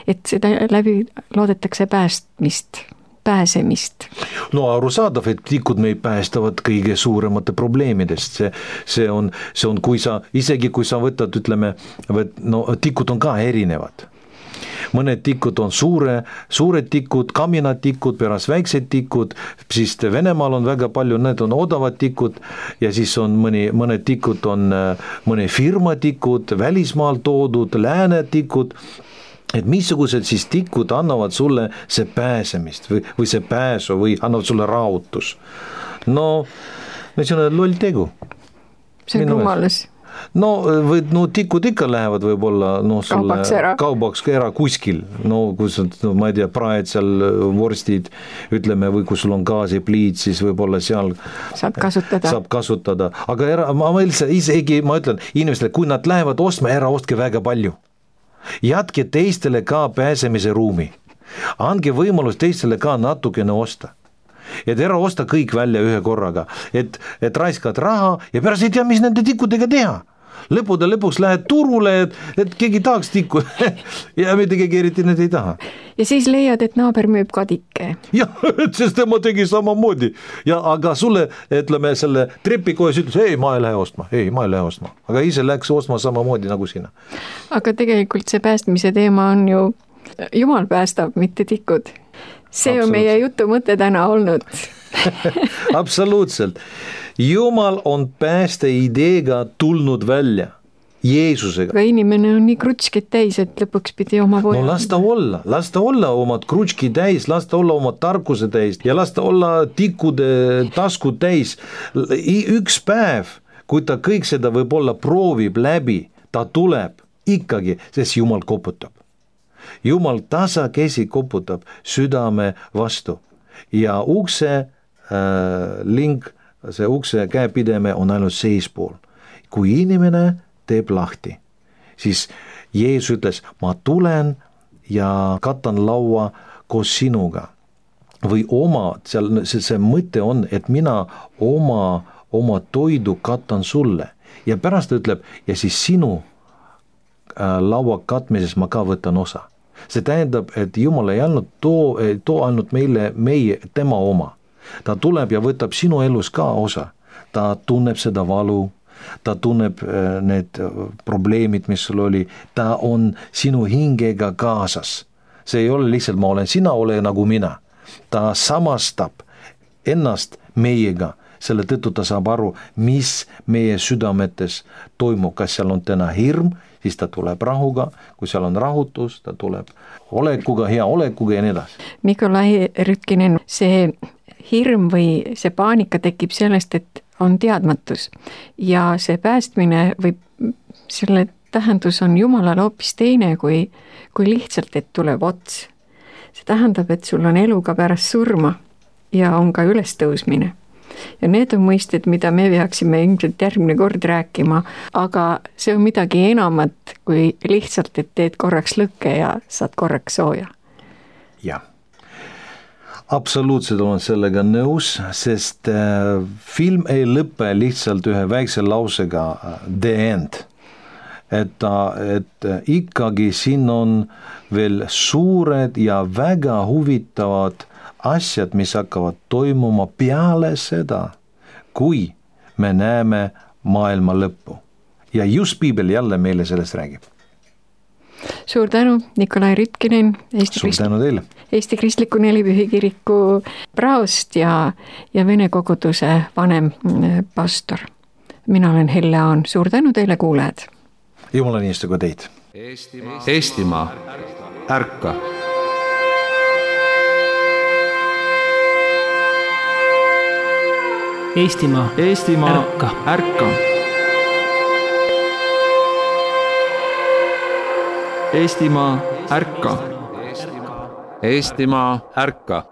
et seda läbi loodetakse pääsemist. No arusaadav, et tikud meid päästavad kõige suuremate probleemidest. See on, isegi kui sa võtad, ütleme, tikud on ka erinevad. Mõned tikud on suured tikud, kaminatikud, pärast väiksed tikud, siis Venemaal on väga palju, need on odavad tikud ja siis on mõned tikud on mõne firma tikud, välismaal toodud, lääne tikud. Et missugused siis tikud annavad sulle see pääsemist või see pääsu või annavad sulle rahutus. See on loll tegu. See on rumalus. Tikud ikka lähevad võib-olla kaubaks ära kuskil, kus on, ma ei tea, praed seal, vorstid, ütleme, või kui sul on gaasipliit, siis võib-olla seal saab kasutada. Aga ma ütlen inimestele, kui nad lähevad ostma, ära ostke väga palju. Jätke teistele ka pääsemise ruumi. Andke võimalus teistele ka natukene osta. Et ära osta kõik välja ühe korraga. Et raiskad raha ja pärast ei tea, mis nende tikkudega teha. Lõpuks lähed turule, et keegi tahaks tikku ja mitte keegi eriti need ei taha. Ja siis leiad, et naaber müüb kadike. Jah, sest tema tegi samamoodi. Aga sulle, ütleme, selle trepikojas ütles, ei, ma ei lähe ostma. Aga ise läks ostma samamoodi nagu sina. Aga tegelikult see päästmise teema on ju, Jumal päästab, mitte tikud. See on meie jutu mõte täna olnud. Absoluutselt. Jumal on pääste ideega tulnud välja. Jeesusega. Aga inimene on nii krutskid täis, et lõpuks pidi oma poja. Lasta olla omad krutski täis, lasta olla oma tarkuse täis ja lasta olla tikkude taskud täis. Üks päev, kui ta kõik seda võib-olla proovib läbi, ta tuleb ikkagi, sest Jumal koputab. Jumal tasakesi koputab südame vastu ja ukse link, see ukse käepideme on ainult seispool. Kui inimene teeb lahti, siis Jeesus ütles, ma tulen ja katan laua koos sinuga. Või see mõte on, et mina oma toidu katan sulle. Ja pärast ütleb, ja siis sinu laua katmises ma ka võtan osa. See tähendab, et Jumal ei too ainult meie tema oma. Ta tuleb ja võtab sinu elus ka osa. Ta tunneb seda valu, ta tunneb need probleemid, mis sul oli, ta on sinu hingega kaasas. See ei ole lihtsalt ma olen, sina ole nagu mina. Ta samastab ennast meiega, selle tõttu ta saab aru, mis meie südametes toimub, kas seal on täna hirm, siis ta tuleb rahuga, kui seal on rahutus, ta tuleb olekuga, hea olekuga ja nii edasi. Nikolai Rütkinen, see hirm või see paanika tekib sellest, et on teadmatus ja see päästmine või selle tähendus on Jumalale hoopis teine kui lihtsalt, et tuleb ots. See tähendab, et sul on elu ka pärast surma ja on ka ülestõusmine. Ja need on mõisted, mida me peaksime ilmselt järgmine kord rääkima, aga see on midagi enamat kui lihtsalt, et teed korraks lõkke ja saad korraks sooja. Jah. Absoluutselt olen sellega nõus, sest film ei lõpe lihtsalt ühe väikse lausega the end. Et ikkagi siin on veel suured ja väga huvitavad asjad, mis hakkavad toimuma peale seda, kui me näeme maailma lõppu. Ja just Piibel jälle meile sellest räägib. Suur tänu, Nikolai Rütkinen, Eesti Kristliku Nelipühi kiriku praost ja Vene koguduse vanem pastor. Mina olen Helle Aan, suur tänu teile, kuulajad! Jumala niistuga teid! Eestimaa, ärka! Eestimaa, ärka! Ärka! Eestimaa, ärka! Eestimaa, ärka!